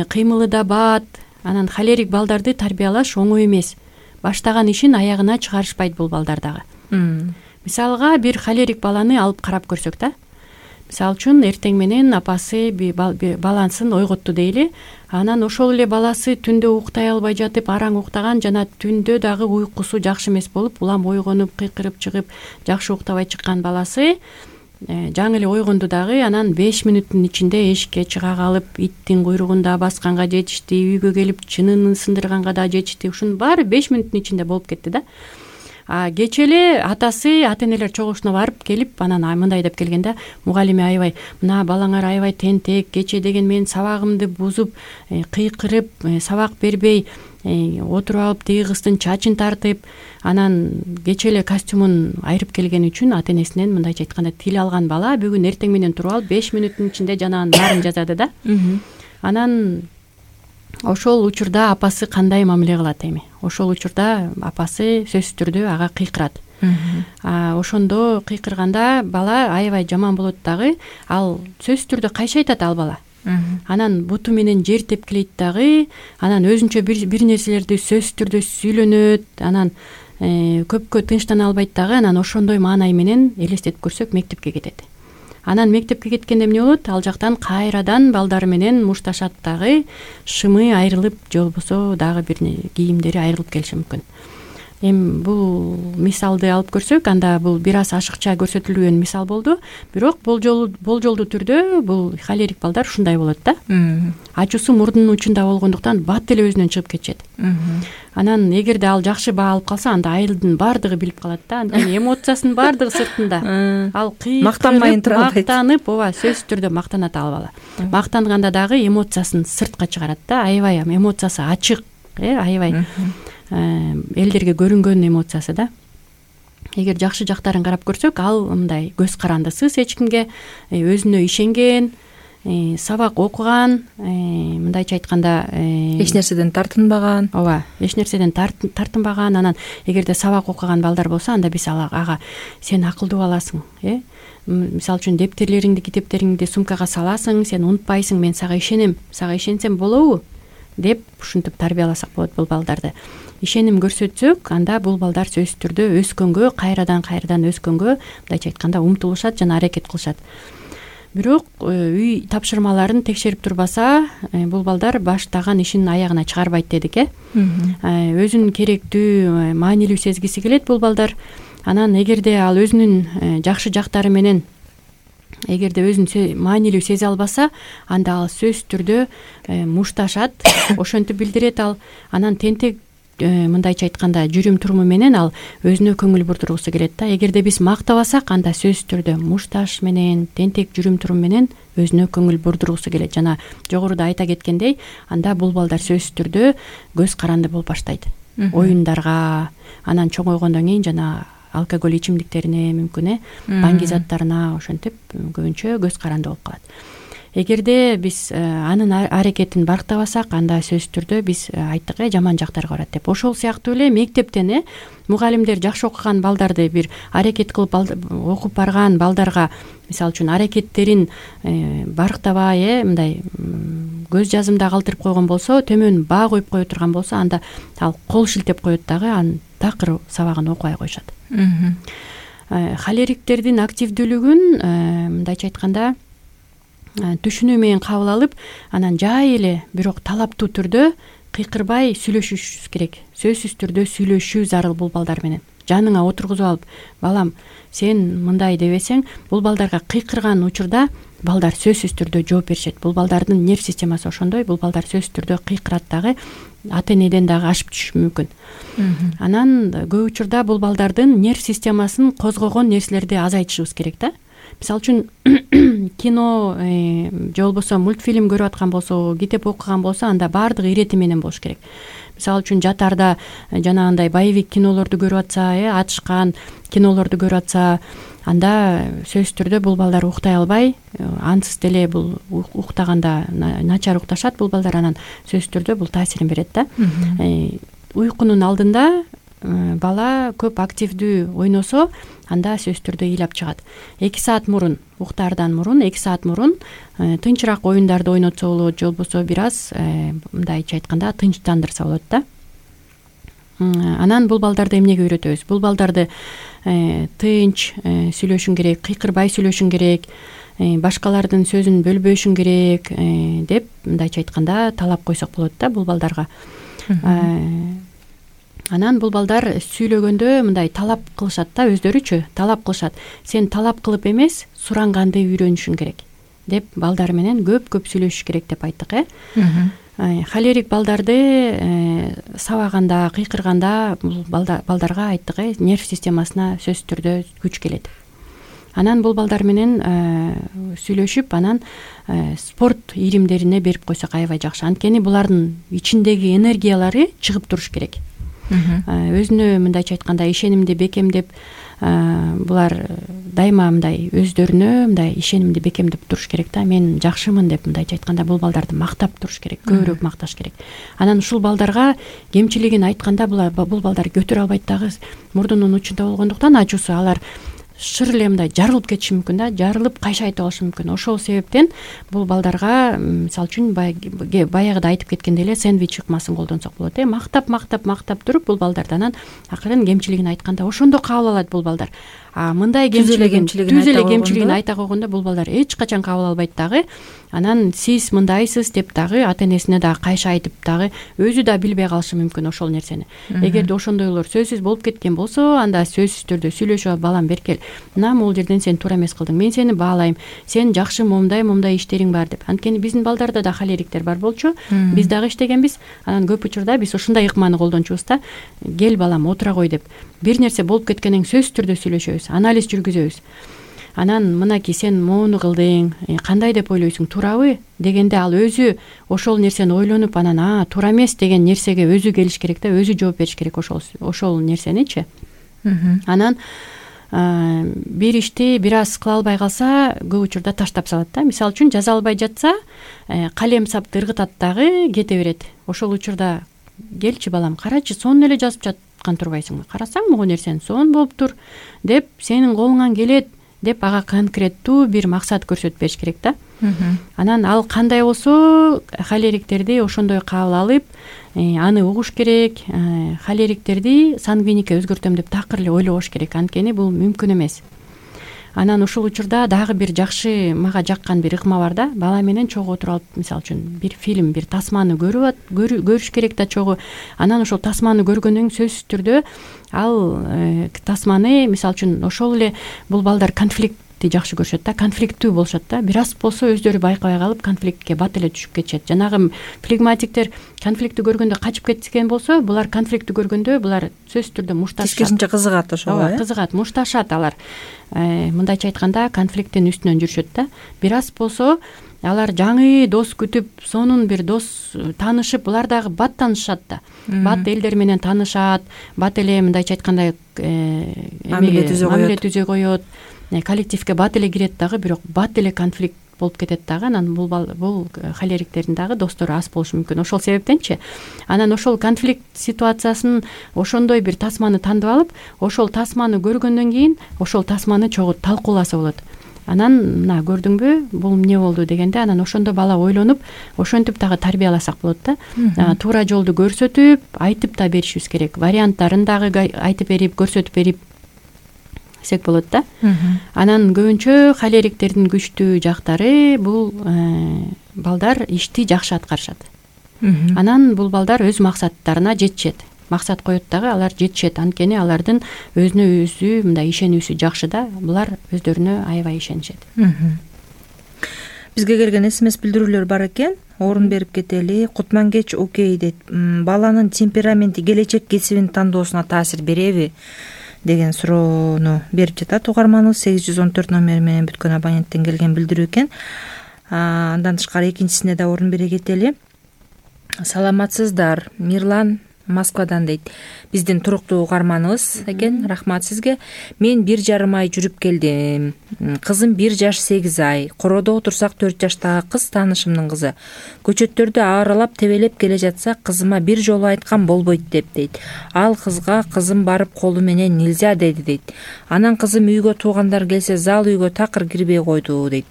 C: кыймылы да бат. Анан холерик балдарды тарбиялаш оңой эмес. Баштаган ишин аягына чыгарышпайт бул балдар дагы. Мисалга бир холерик баланы алып карап көрсөк да. Мисалы үчүн эртең менен апасы баласын ойготту дейли. Анан ошол эле баласы түндө уктай албай жатып, араң уктаган, жана түндө дагы уйкусу жакшы эмес болуп, улам ойгонуп, кыйкырып чыгып, жакшы уктабай чыккан баласы жаңы эле ойгонду дагы, анан 5 мүнөттүн ичинде эшикке чыга калып, иттин куйругунда басканга жетишти, үйгө келип чынын сындырганга да жетишти. Ушунун баары 5 мүнөттүн ичинде болуп кетти да. Кече эле атасы, ата-энелер чогулушуна барып келип, анан мындай деп келгенде, мугалиме аябай, мына балаңар аябай тентек, кече деген мен сабагымды бузуп, кыйкырып, сабак бербей, отуруп алып тиги кыздын чачын тартып, анан кече эле костюмун айырып келгени үчүн ата-энесинен мындайча айтканда тил алган бала бүгүн эртең менен туруп алып 5 мүнөттүн ичинде жанагынын баарын жазады да. Анан ошол учурда апасы кандай мамиле кылат эми? Ошол учурда апасы сөзсүз түрдө ага кыйкырат. Ошондо кыйкырганда бала аябай жаман болот дагы, ал сөзсүз түрдө кайшы айтат ал бала. Анан буту менен жер тепкилейт дагы, анан өзүнчө бир нерселерди сөзсүз түрдө сүйлөнөт, анан көпкө тынчтана албайт дагы. Анан ошондой маанай менен элестетип көрсөк мектепке кетет. Анан мектепке кеткенде эмне болот? Ал жактан кайрадан балдары менен мушташат дагы, шымы айрылып, же болбосо дагы бир кийимдери айрылып келиши мүмкүн. Эми бул мисалды алып көрсөк, анда бул бир аз ашыкча көрсөтүлгөн мисал болду, бирок болжолдуу түрдө бул холерик балдар ушундай болот да. Ачуусу мурдунун учунда болгондуктан бат эле өзүнөн чыгып кетет. Анан эгерде ал жакшы баа алып калса, анда айылдын баардыгы билип калат да. Анткени эмоциясынын баардыгы сыртында. Ал
B: мактанмайын тура албайт.
C: Мактанып, ооба, сөзсүз түрдө мактанат ал бала. Мактанганда дагы эмоциясын сыртка чыгарат да. Аябай эмоциясы ачык, аябай элдерге көрүнгөн эмоциясы да. Эгер жакшы жактарын карап көрсөк, ал мындай көз карандысыз эч кимге, өзүнө ишенген, сабак окуган, мындайча айтканда
B: эч нерседен тартынбаган.
C: Ооба, эч нерседен тартынбаган. Анан эгерде сабак окуган балдар болсо, анда биз ага сен акылдуу баласың, мисалы үчүн дептерлериңди, китептериңди сумкага саласың, сен унутпайсың, мен сага ишенем, сага ишенсем болобу деп ушинтип тарбияласак болот бул балдарды. Ишеним көрсөтсөк, анда бул балдар сөзсүз түрдө өскөнгө, кайрадан өскөнгө, мындайча айтканда умтулушат жана аракет кылышат. бирок үй тапшырмаларын текшерип турбаса бул балдар баштаган ишин аягына чыгарбайт дедик. Өзүн керектүү, маанилүү сезгиси келет бул балдар. Анан эгерде ал өзүнүн жакшы жактары менен эгерде өзүн маанилүү сезе албаса, анда ал сөзсүз түрдө мушташат, ошентип билдирет ал. Анан тентек мындайча айтканда жүрүм туруму менен ал өзүнө көңүл бурдургусу келет да. Эгерде биз мактабасак, анда сөзсүз түрдө мушташ менен, тентек жүрүм турум менен өзүнө көңүл бурдургусу келет. Жана жогоруда айта кеткендей, анда бул балдар сөзсүз түрдө көз каранды болуп баштайт. Оюндарга, анан чоңойгондон кийин жана алкоголь ичимдиктерине, мүмкүн баңги заттарына ошентип көбүнчө көз каранды болуп калат. Эгерде биз анын аракетин барктабасак, анда сөзсүз түрдө биз айттык жаман жактарга барат деп. Ошол сыяктуу эле мектептен мугалимдер жакшы окуган балдарды бир аракет кылып окуп барган балдарга мисалы үчүн аракеттерин барктабай мындай көз жазымда калтырып койгон болсо, төмөн баа коюп кое турган болсо, анда ал кол шилтеп коет дагы, анын такыр сабагын окубай коюшат. Холериктердин активдүүлүгүн мындайча айтканда түшүнүү менен кабыл алып, анан жай эле бирок талаптуу түрдө кыйкырбай сүйлөшүш керек. Сөзсүз түрдө сүйлөшүү зарыл бул балдар менен. Жаныңа отургузуп алып, балам, сен мындай дебесең, бул балдарга кыйкырган учурда балдар сөзсүз түрдө жооп беришет. Бул балдардын нерв системасы ошондой, бул балдар сөзсүз түрдө кыйкырат дагы, ата-энеден дагы ашып түшүшү мүмкүн. Анан көп учурда бул балдардын нерв системасын козгогон нерселерди азайтышыбыз керек да. Мисалы үчүн кино же болбосо мультфильм көрүп аткан болсо, китеп окуган болсо, анда баардыгы ирети менен болуш керек. Мисалы үчүн жатарда жанагындай боевик кинолорду көрүп атса, атышкан кинолорду көрүп атса, анда сөзсүз түрдө бул балдар уктай албай, ансыз деле бул уктаганда начар укташат бул балдар, анан сөзсүз түрдө бул таасирин берет да. Уйкунун алдында бала көп активдүү ойносо, анда сөзсүз түрдө ыйлап чыгат. 2 саат мурун, уктаардан мурун 2 саат мурун тынчыраак оюндарды ойнотсо болот, же болбосо бир аз мындайча айтканда тынчтандырса болот да. Анан бул балдарды эмнеге үйрөтөбүз? Бул балдарды тынч сүйлөшүң керек, кыйкырбай сүйлөшүң керек, башкалардын сөзүн бөлбөшүң керек деп мындайча айтканда талап койсок болот да бул балдарга. Анан бул балдар сүйлөгөндө мындай талап кылышат да, өздөрүчү талап кылышат. Сен талап кылып эмес, суранганды үйрөнүшүң керек деп балдар менен көп сүйлөшүш керек деп айттык. Холерик балдарды сабаганда, кыйкырганда бул балдарга айттык, нерв системасына сөзсүз түрдө күч келет. Анан бул балдар менен сүйлөшүп, анан спорт ийримдерине берип койсок аябай жакшы. Анткени булардын ичиндеги энергиялары чыгып туруш керек. Өзүнө мындайча айтканда ишенимди бекемдеп, булар дайыма мындай өздөрүнө мындай ишенимди бекемдеп туруш керек да. Мен жакшымын деп мындайча айтканда бул балдарды мактап туруш керек, көбүрөөк макташ керек. Анан ушул балдарга кемчилигин айтканда бул балдар көтөрө албайт дагы, мурдунун учунда болгондуктан ачуусу алар шыр эле мындай жарылып кетиши мүмкүн да, жарылып кайша айтып алышы мүмкүн. Ошол себептен бул балдарга мисалы үчүн баягыда айтып кеткендей эле сэндвич ыкмасын колдонсок болот. Мактап туруп бул балдардан акырын кемчилигин айтканда ошондо кабыл алат бул балдар. Мындай түз эле кемчилигин айта койгондо бул балдар эч качан кабыл албайт дагы. Анан сиз мындайсыз деп дагы ата-энесине дагы кайша айтып дагы өзү да билбей калышы мүмкүн ошол нерсени. Эгерде ошондойлор сөзсүз болуп кеткен болсо, анда сөзсүз түрдө сүйлөшүп, балам беркел, мына могул жерден сен туура эмес кылдың, мен сени баалайм, сен жакшы момундай иштериң бар деп. Анткени биздин балдарда да холериктер бар болчу, биз дагы иштегенбиз. Анан көп учурда биз ушундай ыкманы колдончубуз да. Кел балам, отура кой деп. Бир нерсе болуп кеткенден сөзсүз түрдө сүйлөшөбүз, анализ жүргүзөбүз. Анан мынаки сен моуну кылдың, кандай деп ойлойсуң, туурабы дегенде ал өзү ошол нерсени ойлонуп, анан туура эмес деген нерсеге өзү келиш керек да, өзү жооп бериш керек ошол нерсеничи. Анан бир ишти бир аз кыла албай калса, көп учурда таштап салат да. Мисалы үчүн жаза албай жатса, калем сапты ыргытат дагы кете берет. Ошол учурда келчи балам, карачы, сонун эле жазып жаткан турбайсыңбы? Карасаң могу нерсени сонун болуптур деп, сенин колуңан келет деп ага конкреттүү бир максат көрсөтүп бериш керек да. Анан ал кандай болсо, холериктерди ошондой кабыл алып, аны угуш керек. Холериктерди сангвиникке өзгөртөм деп такыр эле ойлобош керек, анткени бул мүмкүн эмес. Анан ушул учурда дагы бир жакшы мага жаккан бир ыкма бар да. Бала менен чогуу отуруп алып, мисалы үчүн бир фильм, бир тасманы көрүш керек да чогуу. Анан ошол тасманы көргөндөн кийин сөзсүз түрдө ал тасманы, мисалы үчүн ошол эле бул балдар конфликтти жакшы көрүшөт да, конфликттүү болушат да. Бир аз болсо өздөрү байкабай калып конфликтке бат эле түшүп кетишет. Жанагы флегматиктер конфликтти көргөндө качып кеткен болсо, булар конфликтти көргөндө булар сөзсүз түрдө мушташат.
B: Тескерисинче кызыгат ошого.
C: Кызыгат, мушташат алар. Мындайча айтканда конфликттин үстүнөн жүрүшөт да. Бир аз болсо алар жаңы дос күтүп, сонун бир дос таанышып, булар дагы бат таанышат да. Бат элдер менен таанышат, бат эле мындайча айтканда
B: мамиле
C: түзө коет, коллективге бат эле кирет дагы, бирок бат эле конфликт болуп кетет дагы. Анан бул холериктердин дагы достору аз болушу мүмкүн. Ошол себептенчи анан ошол конфликт ситуациясын ошондой бир тасманы тандып алып, ошол тасманы көргөндөн кийин ошол тасманы чогуу талкууласа болот. Анан мына көрдүңбү, бул эмне болду дегенде, анан ошондо бала ойлонуп, ошентип дагы тарбияласак болот да. Туура жолду көрсөтүп, айтып да беришибиз керек. Варианттарын дагы айтып берип, көрсөтүп берип сек болот да. Анан көбүнчө холериктердин күчтүү жактары бул балдар ишти жакшы аткарышат. Анан бул балдар өз максаттарына жетишет. Максат коет дагы, алар жетишет. Анткени алардын өзүнө өзү мындай ишенүүсү жакшы да. Булар өздөрүнө аябай ишенишет.
B: Бизге келген СМС билдирүүлөр бар экен. Орун берип кетели. Кутмангеч окей дейт. Баланын темпераменти келечек кесибин тандоосуна таасир береби деген суроону берип жатат угарманыбыз. 814 номери менен бүткөн абоненттен келген билдирүү экен. Андан тышкары экинчисине да орун бере кетели. Саламатсыздар, Мирлан Москвадан дейт. Биздин туруктуу угарманыбыз экен. Рахмат сизге. Мен 1,5 ай жүрүп келдим. Кызым 1 жаш 8 ай. Короодо отурсак 4 жаштагы кыз таанышымдын кызы. Көчөттөрдү аралап тебелеп келе жатсак, кызыма бир жолу айткан болбойт деп дейт. Ал кызга кызым барып колу менен нельзя деди дейт. Анан кызым үйгө туугандар келсе зал үйгө такыр кирбей койду дейт.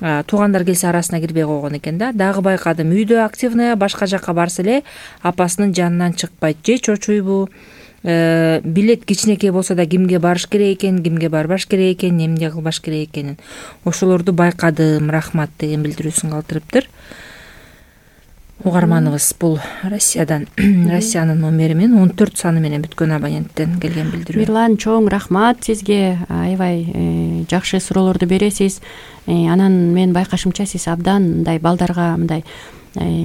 B: Туугандар келсе арасына кирбей койгон экен да. Дагы байкадым, үйдө активная, башка жакка барса эле апасынын жанынан чыкпайт. Же чочуйбу, билет кичинекей болсо да кимге барыш керек экен, кимге барбаш керек экен, эмне кылбаш керек экенин. Ошолорду байкадым, рахмат деген билдирүүсүн калтырыптыр. Угарманыбыз бул Россиядан, Россиянын номери менен 14 саны менен бүткөн абоненттен келген билдирүү.
C: Мирлан, чоң рахмат сизге. Аябай жакшы суроолорду бересиз. Анан мен байкашымча сиз абдан мындай балдарга мындай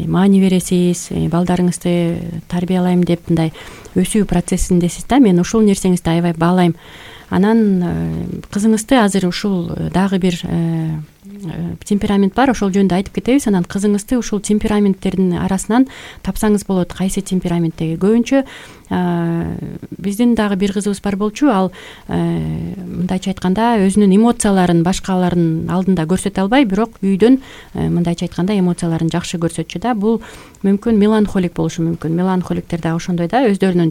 C: маани бересиз, балдарыңызды тарбиялайм деп мындай өсүү процессиндесиз да. Мен ушул нерсеңизди аябай баалайм. Анан кызыңызды азыр ушул дагы бир темперамент бар, ошол жөнүндө айтып кетебиз. Анан кызыңызды ушул темпераменттердин арасынан тапсаңыз болот. Кайсы темпераменттеги? Көбүнчө биздин дагы бир кызыбыз бар болчу. Ал мындайча айтканда өзүнүн эмоцияларын башкалардын алдында көрсөтө албай, бирок үйдөн мындайча айтканда эмоцияларын жакшы көрсөтчү да. Бул мүмкүн меланхолик болушу мүмкүн. Меланхоликтер дагы ошондой да, өздөрүнүн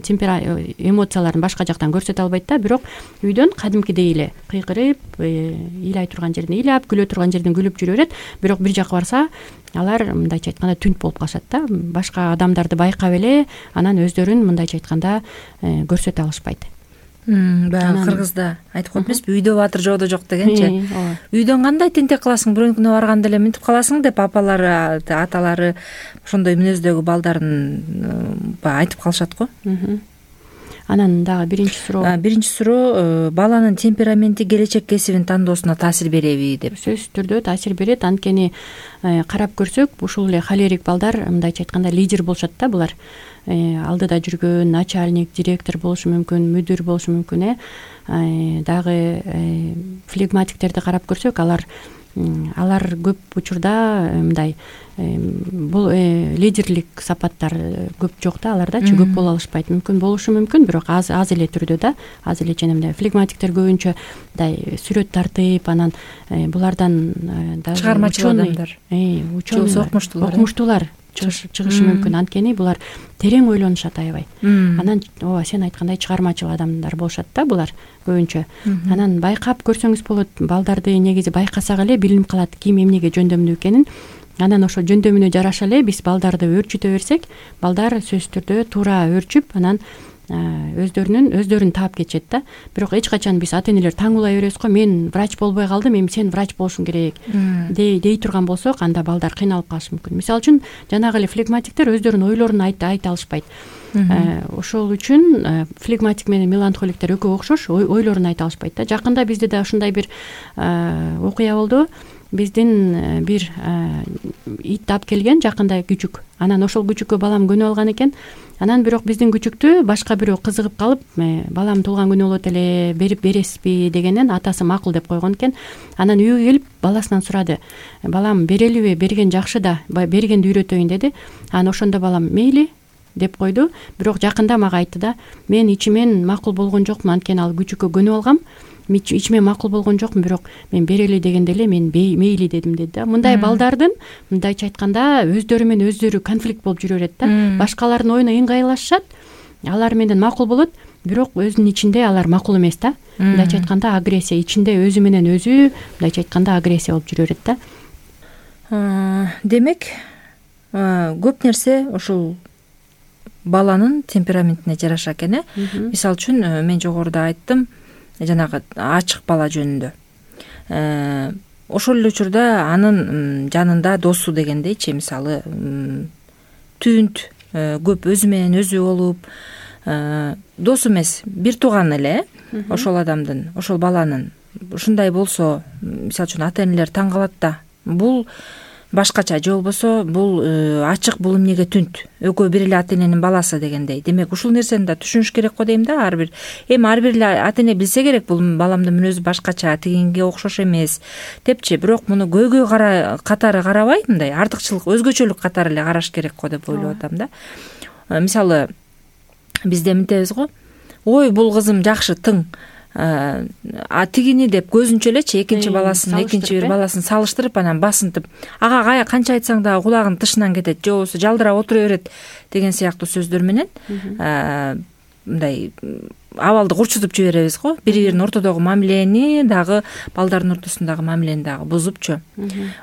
C: эмоцияларын башка жактан көрсөтө албайт да, бирок үйдөн кадимкидей эле кыйкырып, ыйлай турган жеринде ыйлап, күлө турган жерден күлүп жүрө берет. Бирок бир жака барса, алар мындайча айтканда түнт болуп калышат да. Башка адамдарды байкап эле, анан өздөрүн мындайча айтканда көрсөтө алышпайт.
B: Баягы кыргызда айтып коет эмеспи, үйдө баатыр жоодо жок дегенчи. Үйдөн кандай тентек кыласың, бирөөнүкүнө барганда эле мынтип каласың деп апалары, аталары ошондой мүнөздөгү балдарын айтып калышат го.
C: Анан дагы биринчи
B: суроо баланын темпераменти келечек кесибин тандоосуна таасир береби деп.
C: Сөзсүз түрдө таасир берет. Анткени карап көрсөк, ушул эле холерик балдар мындайча айтканда лидер болушат да. Булар алдыда жүргөн начальник, директор болушу мүмкүн, мүдүр болушу мүмкүн. Дагы флегматиктерди карап көрсөк, алар көп учурда мындай бул лидерлик сапаттар көп жок да, алардачы көп боло алышпайт. Мүмкүн болушу мүмкүн, бирок аз эле түрдө да, аз эле жана флегматиктер көбүнчө мындай сүрөт тартып, анан булардан дагы
B: чыгармачыл адамдар,
C: окумуштуулар чыгышы мүмкүн. Анткени булар терең ойлонушат аябай. Анан сен айткандай чыгармачыл адамдар болушат да булар көбүнчө. Анан байкап көрсөңүз болот, балдарды негизи байкасак эле билинип калат ким эмнеге жөндөмдүү экенин. Анан ошо жөндөмүнө жараша эле биз балдарды өөрчүтө берсек, балдар сөзсүз түрдө туура өөрчүп, анан өздөрүн таап кетишет да. Бирок эч качан биз ата энелер таңуулай беребиз го, мен врач болбой калдым, эми сен врач болушуң керек дей турган болсок, анда балдар кыйналып калышы мүмкүн. Мисалы үчүн жанагы эле флегматиктер өздөрүнүн ойлорун айта алышпайт. Ошол үчүн флегматик менен меланхоликтер экөө окшош, ойлорун айта алышпайт да. Жакында бизде да ушундай бир окуя болду. Биздин бир ит таап келген жакында, күчүк. Анан ошол күчүккө балам көнүп алган экен. Анан бирок биздин күчүктү башка бирөө кызыгып калып, балам туулган күнү болот эле, берип бересизби дегенден атасы макул деп койгон экен. Анан үйгө келип баласынан сурады: балам берелиби, берген жакшы да, бергенди үйрөтөйүн деди. Анан ошондо балам мейли деп койду. Бирок жакында мага айтты да: мен ичимен макул болгон жокмун, анткени ал күчүккө көнүп алгам. Ичимен макул болгон жокмун, бирок мен берели дегенде эле мен мейли дедим деди да. Мындай балдардын, мындайча айтканда, өздөрү менен өздөрү конфликт болуп жүрө берет да. Башкалардын оюна ыңгайлашышат, алар менен макул болот, бирок өзүнүн ичинде алар макул эмес да. Мындайча айтканда агрессия ичинде, өзү менен өзү мындайча айтканда агрессия болуп жүрө берет да.
B: Демек, көп нерсе ошол баланын темпераментине жараша экен. Мисалы үчүн мен жогоруда айттым, жанагы ачык бала жөнүндө. Ошол эле учурда анын жанында досу дегендейчи, мисалы түнт көп өзү менен өзү болуп, досу эмес, бир тууган эле ошол адамдын, ошол баланын. Ушундай болсо, мисалы үчүн ата энелер таң калат да. Бул башкача, же болбосо бул ачык, бул эмнеге түнт, экөө бир эле ата эненин баласы дегендей. Демек ушул нерсени да түшүнүш керек го дейм да. Ар бир эле ата эне билсе керек, бул баламдын мүнөзү башкача, тигинге окшош эмес депчи. Бирок муну көйгөй катары карабай, мындай артыкчылык, өзгөчөлүк катары эле караш керек го деп ойлоп атам да. Мисалы бизде мынтебиз го: ой, бул кызым жакшы, тың, тигини деп көзүнчө элечи экинчи бир баласын салыштырып, анан басынтып, ага канча айтсаң дагы кулагынын тышынан кетет, же болбосо жалдырап отура берет деген сыяктуу сөздөр менен мындай абалды курчутуп жиберебиз го. Бири-биринин ортодогу мамилени дагы, балдардын ортосундагы мамилени дагы бузупчу.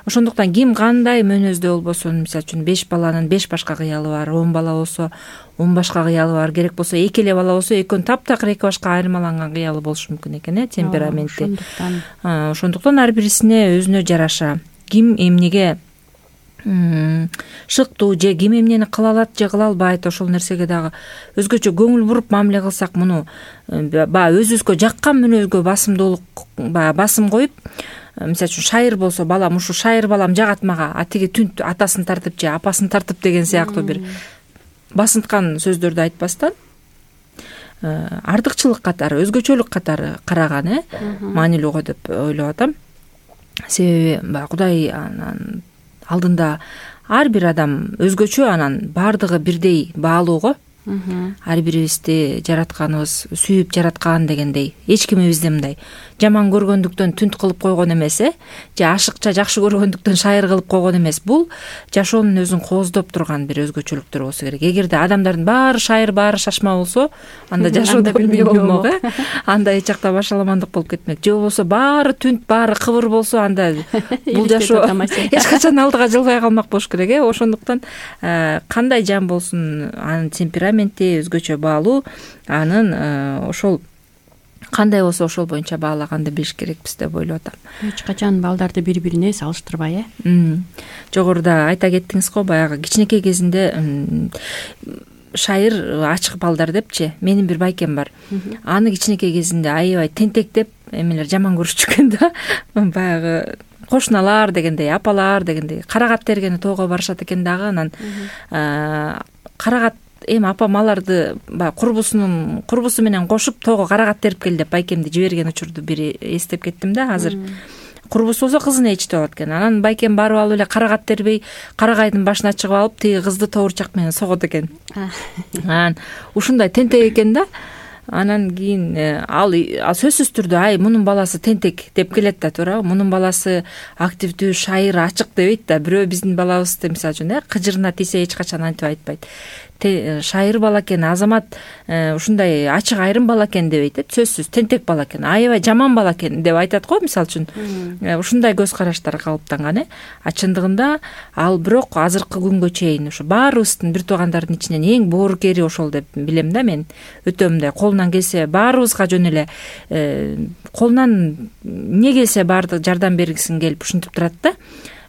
B: Ошондуктан ким кандай мөнөздө болбосун, мисалы үчүн 5 баланын 5 башка кыялы бар, 10 бала болсо 10 башка кыялы бар, керек болсо 2 эле бала болсо экөөнүн таптакыр 2 башка айырмаланган кыялы болушу мүмкүн экен, темпераменти. Ошондуктан ар бирисине өзүнө жараша ким эмнеге шыктуу, же ким эмнени кыла алат же кыла албайт, ошол нерсеге дагы өзгөчө көңүл буруп мамиле кылсак, муну баягы өзүбүзгө жаккан мүнөзгө басым коюп, мисалы үчүн шайыр болсо, балам ушу шайыр балам жагат мага, тиги түнт атасын тартып же апасын тартып деген сыяктуу бир басынткан сөздөрдү айтпастан, артыкчылык катары, өзгөчөлүк катары караган маанилүү го деп ойлоп атам. Себеби баягы Кудай алдында ар бир адам өзгөчө, анан баардыгы бирдей баалуу го. Ар бирибизди жаратканыбыз сүйүп жараткан дегендей. Эч кимибизди мындай жаман көргөндүктөн түнт кылып койгон эмес, же ашыкча жакшы көргөндүктөн шайыр кылып койгон эмес. Бул жашоонун өзүн кооздоп турган бир өзгөчөлүктөр болсо керек. Эгерде адамдардын баары шайыр, баары шашма болсо, анда жашоодо билбей болмок, анда эч жакта башаламандык болуп кетмек. Же болбосо баары түнт, баары кыбыр болсо, анда бул жашоо эч качан алдыга жылбай калмак болуш керек. Ошондуктан кандай жан болсун, анын темпераменти өзгөчө баалуу, анын ошол кандай болсо ошол боюнча баалаганды билиш керекпиз деп ойлоп атам.
C: Эч качан балдарды бири-бирине салыштырбай,
B: Жогоруда айта кеттиңиз го, баягы кичинекей кезинде шайыр ачык балдар депчи. Менин бир байкем бар. Аны кичинекей кезинде аябай тентек деп эмелер жаман көрүшчү экен да. Баягы кошуналар дегендей, апалар дегендей карагат тергени тоого барышат экен дагы. Анан карагат апам аларды курбусу менен кошуп тоого карагат терип кел деп байкемди жиберген учурду бир эстеп кеттим да. Азыр курбусу болсо кызын ээчитип алат экен. Анан байкем барып алып эле карагат тербей, карагайдын башына чыгып алып, тиги кызды тоорчак менен согот экен. Анан ушундай тентек экен да. Анан кийин ал сөзсүз түрдө мунун баласы тентек деп келет да, туурабы? Мунун баласы активдүү, шайыр, ачык дебейт да. Бирөө биздин балабызды мисалы үчүн кыжырына тийсе эч качан антип айтпайт. шайыр бала экен, Азамат ушундай ачык айрым бала экен дебейт, сөзсүз тентек бала экен, аябай жаман бала экен деп айтат го, мисалы үчүн. Ушундай көз караштар калыптанган. А чындыгында ал бирок азыркы күнгө чейин ушу баарыбыздын бир туугандардын ичинен эң боорукери ошол деп билем да мен. Өтө мындай колунан келсе баарыбызга жөн эле колунан эмне келсе баардык жардам бергисин келип ушинтип турат да.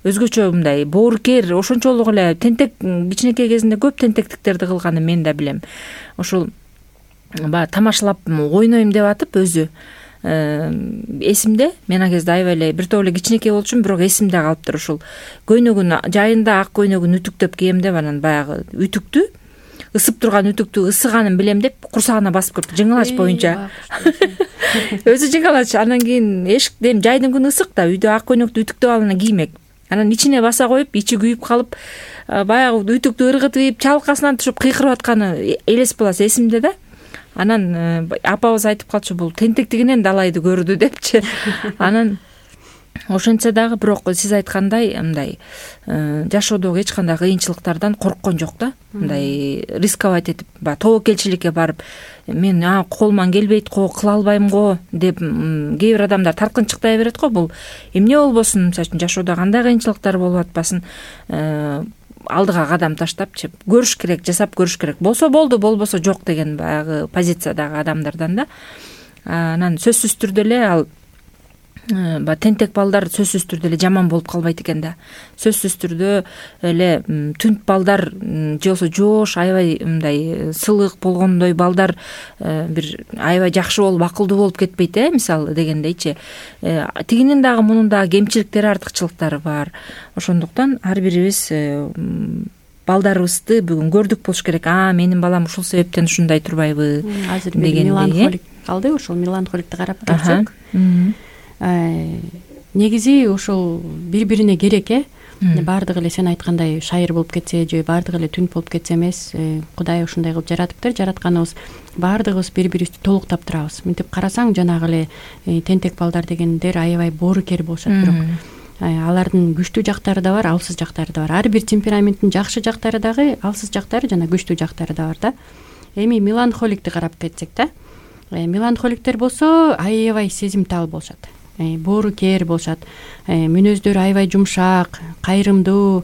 B: Өзгөчө мындай боорукер, ошончолук эле тентек, кичинекей кезинде көп тентектиктерди кылганын мен да билем. Ошол баягы тамашалап ойнойм деп атып өзү эсимде, мен ал кезде аябай эле бир топ эле кичинекей болчумун, бирок эсимде калыптыр. Ушул көйнөгүн жайында ак көйнөгүн ütүктөп кийем деп, анан баягы ütүктү, ысып турган ütүктү ысыганын билем деп курсагына басып көрдү жыңылач боюнча. Өзү жыңалач, анан кийин эшиктен жайдын күнү ысык да, үйдө ак көйнөктү ütүктөп алып анан киймек. Анан ичине баса коюп, ичи күйүп калып, баягы ütүктү ыргытып, чалкасынан түшүп кыйкырып атканы элес баласы эсимде да. Анан апабыз айтып калчу, бул тентектигинен далайды көрдү депчи. Анан ошентсе дагы бирок сиз айткандай мындай жашоодогу эч кандай кыйынчылыктардан корккон жок да. Мындай рисковать этип, тобокелчиликке барып, мен колуман келбейт го, кыла албайм го деп кээ бир адамдар таркынчыктай берет го. Бул эмне болбосун, мисалы үчүн жашоодо кандай кыйынчылыктар болуп атпасын, алдыга кадам таштапчы көрүш керек, жасап көрүш керек. Болсо болду, болбосо жок деген баягы позициядагы адамдардан да. Анан сөзсүз түрдө эле ал тентек балдар сөзсүз түрдө эле жаман болуп калбайт экен да. Сөзсүз түрдө эле түнт балдар же болбосо жоош аябай мындай сылык болгондой балдар бир аябай жакшы болуп, акылдуу болуп кетпейт, мисалы дегендейчи. Тигинин дагы мунун дагы кемчиликтери, артыкчылыктары бар. Ошондуктан ар бирибиз балдарыбызды бүгүн көрдүк болуш керек. Менин балам ушул себептен ушундай турбайбы дегендей.
C: Меланхолик калды, ошол меланхоликти карап көрсөк. Негизи ушул бири-бирине керек, баардыгы эле сен айткандай шайыр болуп кетсе же баардыгы эле түнт болуп кетсе эмес. Кудай ушундай кылып жаратыптыр. Жаратканыбыз баардыгыбыз бири-бирибизди толуктап турабыз. Мынтип карасаң, жанагы эле тентек балдар дегендер аябай боорукер болушат, бирок алардын күчтүү жактары да бар, алсыз жактары да бар. Ар бир темпераменттин жакшы жактары дагы, алсыз жактары жана күчтүү жактары да бар да. Эми меланхоликти карап кетсек да, меланхоликтер болсо аябай сезимтал болушат, боорукер болушат, мүнөздөрү аябай жумшак, кайрымдуу,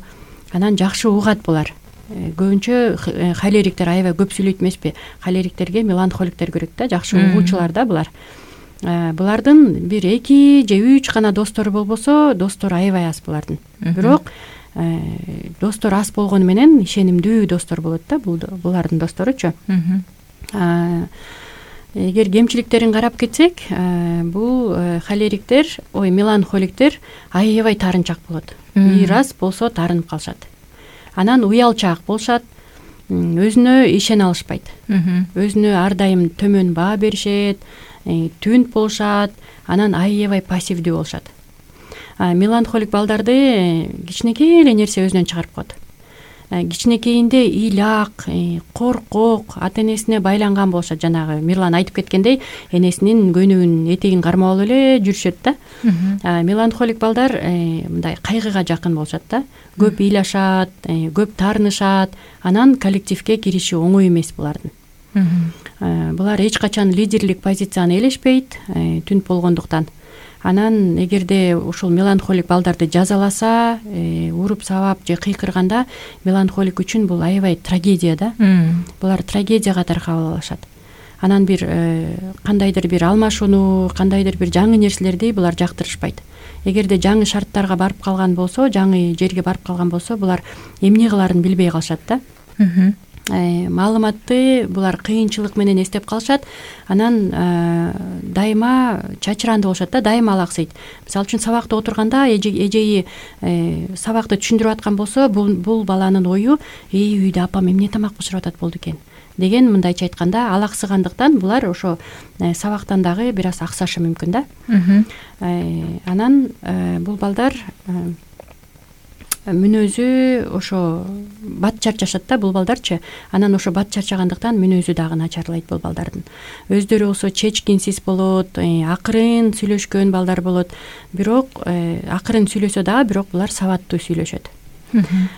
C: анан жакшы угат булар. Көбүнчө холериктер аябай көп сүйлөйт эмеспи? Холериктерге меланхоликтер көрөк да, жакшы угуучулар да булар. Булардын бир 2 же 3 гана достору болбосо, достору аябай аз булардын. Бирок достор аз болгону менен ишенимдүү достор болот да, булардын досторучу. Эгер кемчиликтерин карап кетсек, бул холериктер, меланхоликтер аябай тарынчак болот. Бир аз болсо тарынып калышат. Анан уялчаак болушат, өзүнө ишене алышпайт. Өзүнө ар дайым төмөн баа беришет, түнт болушат, анан аябай пассивдүү болушат. Меланхолик балдарды кичинекей эле нерсе өзүнөн чыгарып коет. Кичинекейинде ыйлак, коркок, ата-энесине байланган болушат. Жанагы Мирлан айтып кеткендей, энесинин көйнөгүнүн этегин кармап алып эле жүрүшөт да. Меланхолик балдар мындай кайгыга жакын болушат да. Көп ыйлашат, көп таарынышат, анан коллективге кириши оңой эмес булардын. Булар эч качан лидерлик позицияны ээлешпейт, түнт болгондуктан. Анан эгерде ушул меланхолик балдарды жазаласа, уруп сабап же кыйкырганда, меланхолик үчүн бул аябай трагедия да. Булар трагедияга таркап алышат. Анан бир кандайдыр бир алмашууну, кандайдыр бир жаңы нерселерди булар жактырышпайт. Эгерде жаңы шарттарга барып калган болсо, жаңы жерге барып калган болсо, булар эмне кыларын билбей калышат да. Маалыматты булар кыйынчылык менен эстеп калышат. Анан дайыма чачырандуу болушат да, дайыма алаксыйт. Мисалы үчүн сабакта отурганда эжеи сабакты түшүндүрүп аткан болсо, бул баланын ою үйдө апам эмне тамак бышырып атат болду экен деген, мындайча айтканда, алаксыгандыктан булар ошо сабактан дагы бир аз аксашы мүмкүн да. Анан бул балдар мүнөзү ошо бат чарчашат да, бул балдарчы. Анан ошо бат чарчагандыктан мүнөзү дагы начарлайт бул балдардын. Өздөрү болсо чечкинсиз болот, акырын сүйлөшкөн балдар болот. Бирок акырын сүйлөсө дагы, бирок булар сабаттуу сүйлөшөт.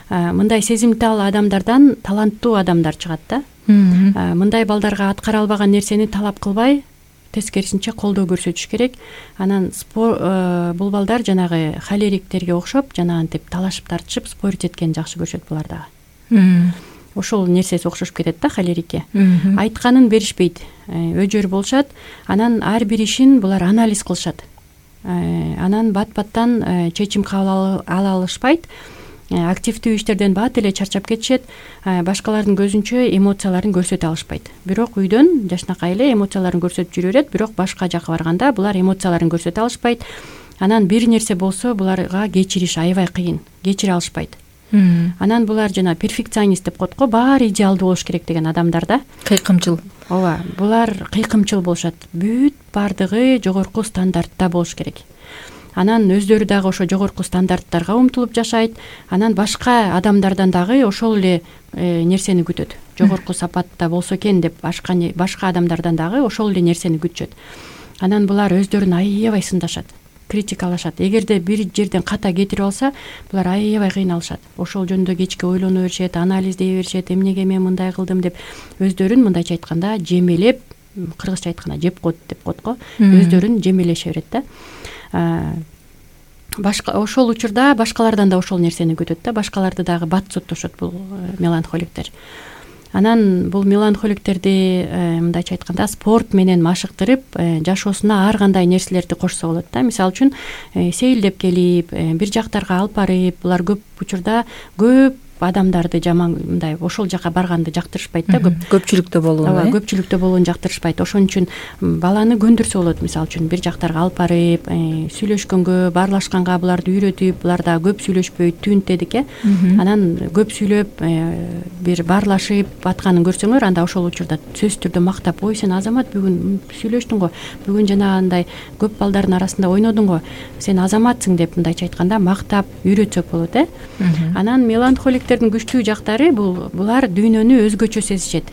C: Мындай сезимтал адамдардан таланттуу адамдар чыгат да. Мындай балдарга аткара албаган нерсени талап кылбай, тескерисинче колдоо көрсөтүш керек. Анан бул балдар жанагы холериктерге окшоп жанагынтип талашып тартышып спорить эткенин жакшы көрүшөт булар дагы. Ошол нерсеси окшошуп кетет да холерикке. Айтканын беришпейт, өжөр болушат. Анан ар бир ишин булар анализ кылышат. Анан бат-баттан чечим кабыл ала алышпайт. Активдүү иштерден бат эле чарчап кетишет. Башкалардын көзүнчө эмоцияларын көрсөтө алышпайт. Бирок үйдөн жашынакай эле эмоцияларын көрсөтүп жүрө берет, бирок башка жака барганда булар эмоцияларын көрсөтө алышпайт. Анан бир нерсе болсо буларга кечириш аябай кыйын, кечире алышпайт. Анан булар жана перфекционист деп коет го, баары идеалдуу болуш керек деген адамдар да.
B: Кыйкымчыл.
C: Ооба, булар кыйкымчыл болушат. Бүт бардыгы жогорку стандартта болуш керек. Анан өздөрү дагы ошо жогорку стандарттарга умтулуп жашайт. Анан башка адамдардан дагы ошол эле нерсени күтөт. Жогорку сапатта болсо экен деп башка адамдардан дагы ошол эле нерсени күтүшөт. Анан булар өздөрүн аябай сындашат, критикалашат. Эгерде бир жерден ката кетирип алса, булар аябай кыйналышат. Ошол жөнүндө кечке ойлоно беришет, анализдей беришет, эмнеге мен мындай кылдым деп өздөрүн мындайча айтканда жемелеп, кыргызча айтканда жеп коет деп коет го. Өздөрүн жемелеше берет да. Ошол учурда башкалардан да ошол нерсени күтөт да. Башкаларды дагы бат соттошот бул меланхоликтер. Анан бул меланхоликтерди мындайча айтканда спорт менен машыктырып, жашоосуна ар кандай нерселерди кошсо болот да. Мисалы үчүн сейилдеп келип, бир жактарга алып барып, булар көп учурда көп адамдарды жаман мындай ошол жака барганды жактырышпайт да.
B: Көпчүлүктө болууну.
C: Ооба, көпчүлүктө болууну жактырышпайт. Ошон үчүн баланы көндүрсө болот. Мисалы үчүн бир жактарга алып барып, сүйлөшкөнгө, баарлашканга буларды үйрөтүп, булар да көп сүйлөшпөйт, түнт дедик Анан көп сүйлөп, бир баарлашып атканын көрсөңөр, анда ошол учурда сөзсүз түрдө мактап, ой сен Азамат бүгүн сүйлөштүң го, бүгүн жанагындай көп балдардын арасында ойнодуң го, сен Азаматсың деп мындайча айтканда мактап үйрөтсөк болот Анан меланхоликтердин күчтүү жактары булар дүйнөнү өзгөчө сезишет.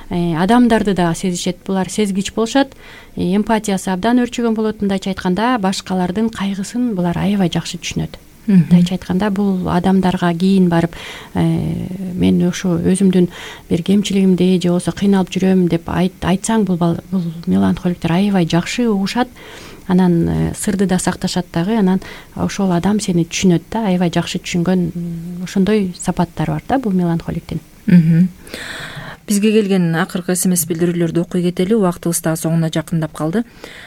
C: Адамдарды да сезишет. Булар сезгич болушат. Эмпатиясы абдан өрчөгөн болот. Мындайча айтканда башкалардын кайгысын булар аябай жакшы түшүнөт. Мындайча айтканда бул адамдарга кийин барып мен ошо өзүмдүн бир кемчилигимди же болбосо кыйналып жүрөм деп айтсаң, бул меланхоликтер аябай жакшы угушат. Анан сырды да сакташат дагы. Анан ошол адам сени түшүнөт да, аябай жакшы түшүнгөн ошондой сапаттары бар да бул меланхоликтин.
B: Бизге келген акыркы СМС билдирүүлөрдү окуй кетели. Убактыбыз дагы соңуна жакындап калды.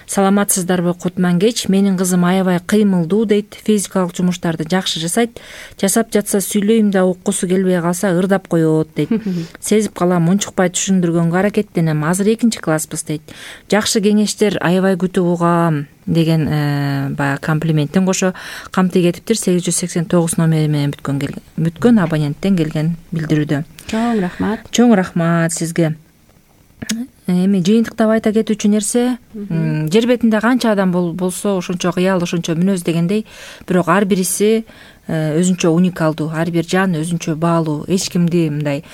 B: Саламатсыздарбы Кутмангеч? Менин кызым аябай кыймылдуу дейт. Физикалык жумуштарды жакшы жасайт. Жасап жатса сүйлөйм да уккусу келбей калса ырдап коет дейт. Сезип калам, унчукпай түшүндүргөнгө аракеттенем. Азыр 2-класспыз дейт. Жакшы кеңештер аябай күтүп угам деген баягы комплименттин кошо камтый кетиптир. 889 номери менен бүткөн абоненттен келген билдирүүдө.
C: Чоң рахмат.
B: Чоң рахмат сизге. Эми жыйынтыктап айта кетүүчү нерсе, жер бетинде канча адам болсо ошончо кыял, ошончо мүнөз дегендей, бирок ар бириси өзүнчө уникалдуу, ар бир жан өзүнчө баалуу. Эч кимди мындай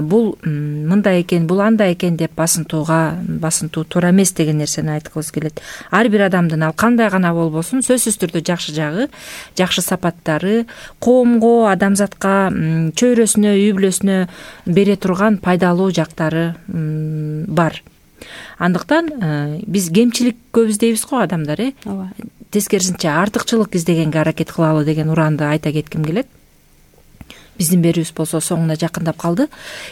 B: бул мындай экен, бул андай экен деп басынтуу туура эмес деген нерсени айткыбыз келет. Ар бир адамдын ал кандай гана болбосун, сөзсүз түрдө жакшы жагы, жакшы сапаттары, коомго, адамзатка, чөйрөсүнө, үй бүлөсүнө бере турган пайдалуу жактары бар. Андыктан биз кемчилик көп издейбиз го адамдар,
C: Ооба.
B: Тескерисинче артыкчылык издегенге аракет кылалы деген ураанды айта кетким келет. Биздин берүүбүз болсо соңуна жакындап калды.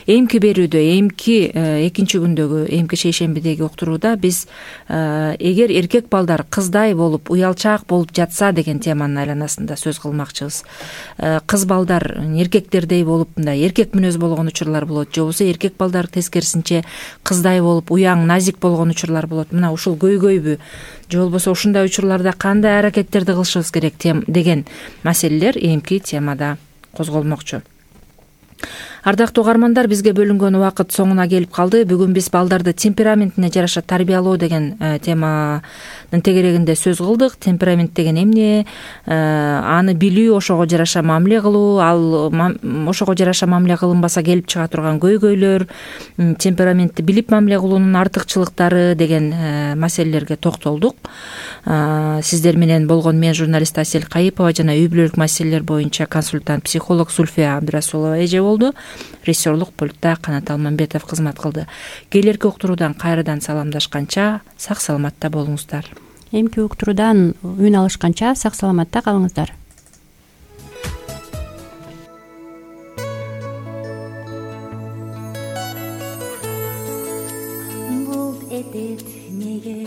B: Эмки берүүдө, экинчи күндөгү, эмки шейшембидеги уктурууда биз эгер эркек балдар кыздай болуп, уялчаак болуп жатса деген теманын айланасында сөз кылмакчыбыз. Кыз балдар эркектердей болуп, мындай эркек мүнөз болгон учурлар болот, же болбосо эркек балдар тескерисинче кыздай болуп, уяң, назик болгон учурлар болот. Мына ушул көйгөйбү, же болбосо ушундай учурларда кандай аракеттерди кылышыбыз керек деген маселелер эмки темада козголмокчу. Ардактуу угармандар, бизге бөлүнгөн убакыт соңуна келип калды. Бүгүн биз балдарды темпераментине жараша тарбиялоо деген теманын тегерегинде сөз кылдык. Темперамент деген эмне, аны билүү, ошого жараша мамиле кылуу, ал ошого жараша мамиле кылынбаса келип чыга турган көйгөйлөр, темпераментти билип мамиле кылуунун артыкчылыктары деген маселелерге токтолдук. Сиздер менен болгон мен журналист Асель Кайыпова жана үй бүлөлүк маселелер боюнча консультант психолог Зульфия Абдрасулова эже болду. Режиссерлук пультта Канат Алмамбетов кызмат кылды. Келерки уктуруудан кайрадан саламдашканча сак саламатта болуңуздар.
C: Эмки уктуруудан үн алышканча сак саламатта калыңыздар.
D: Булт этет неге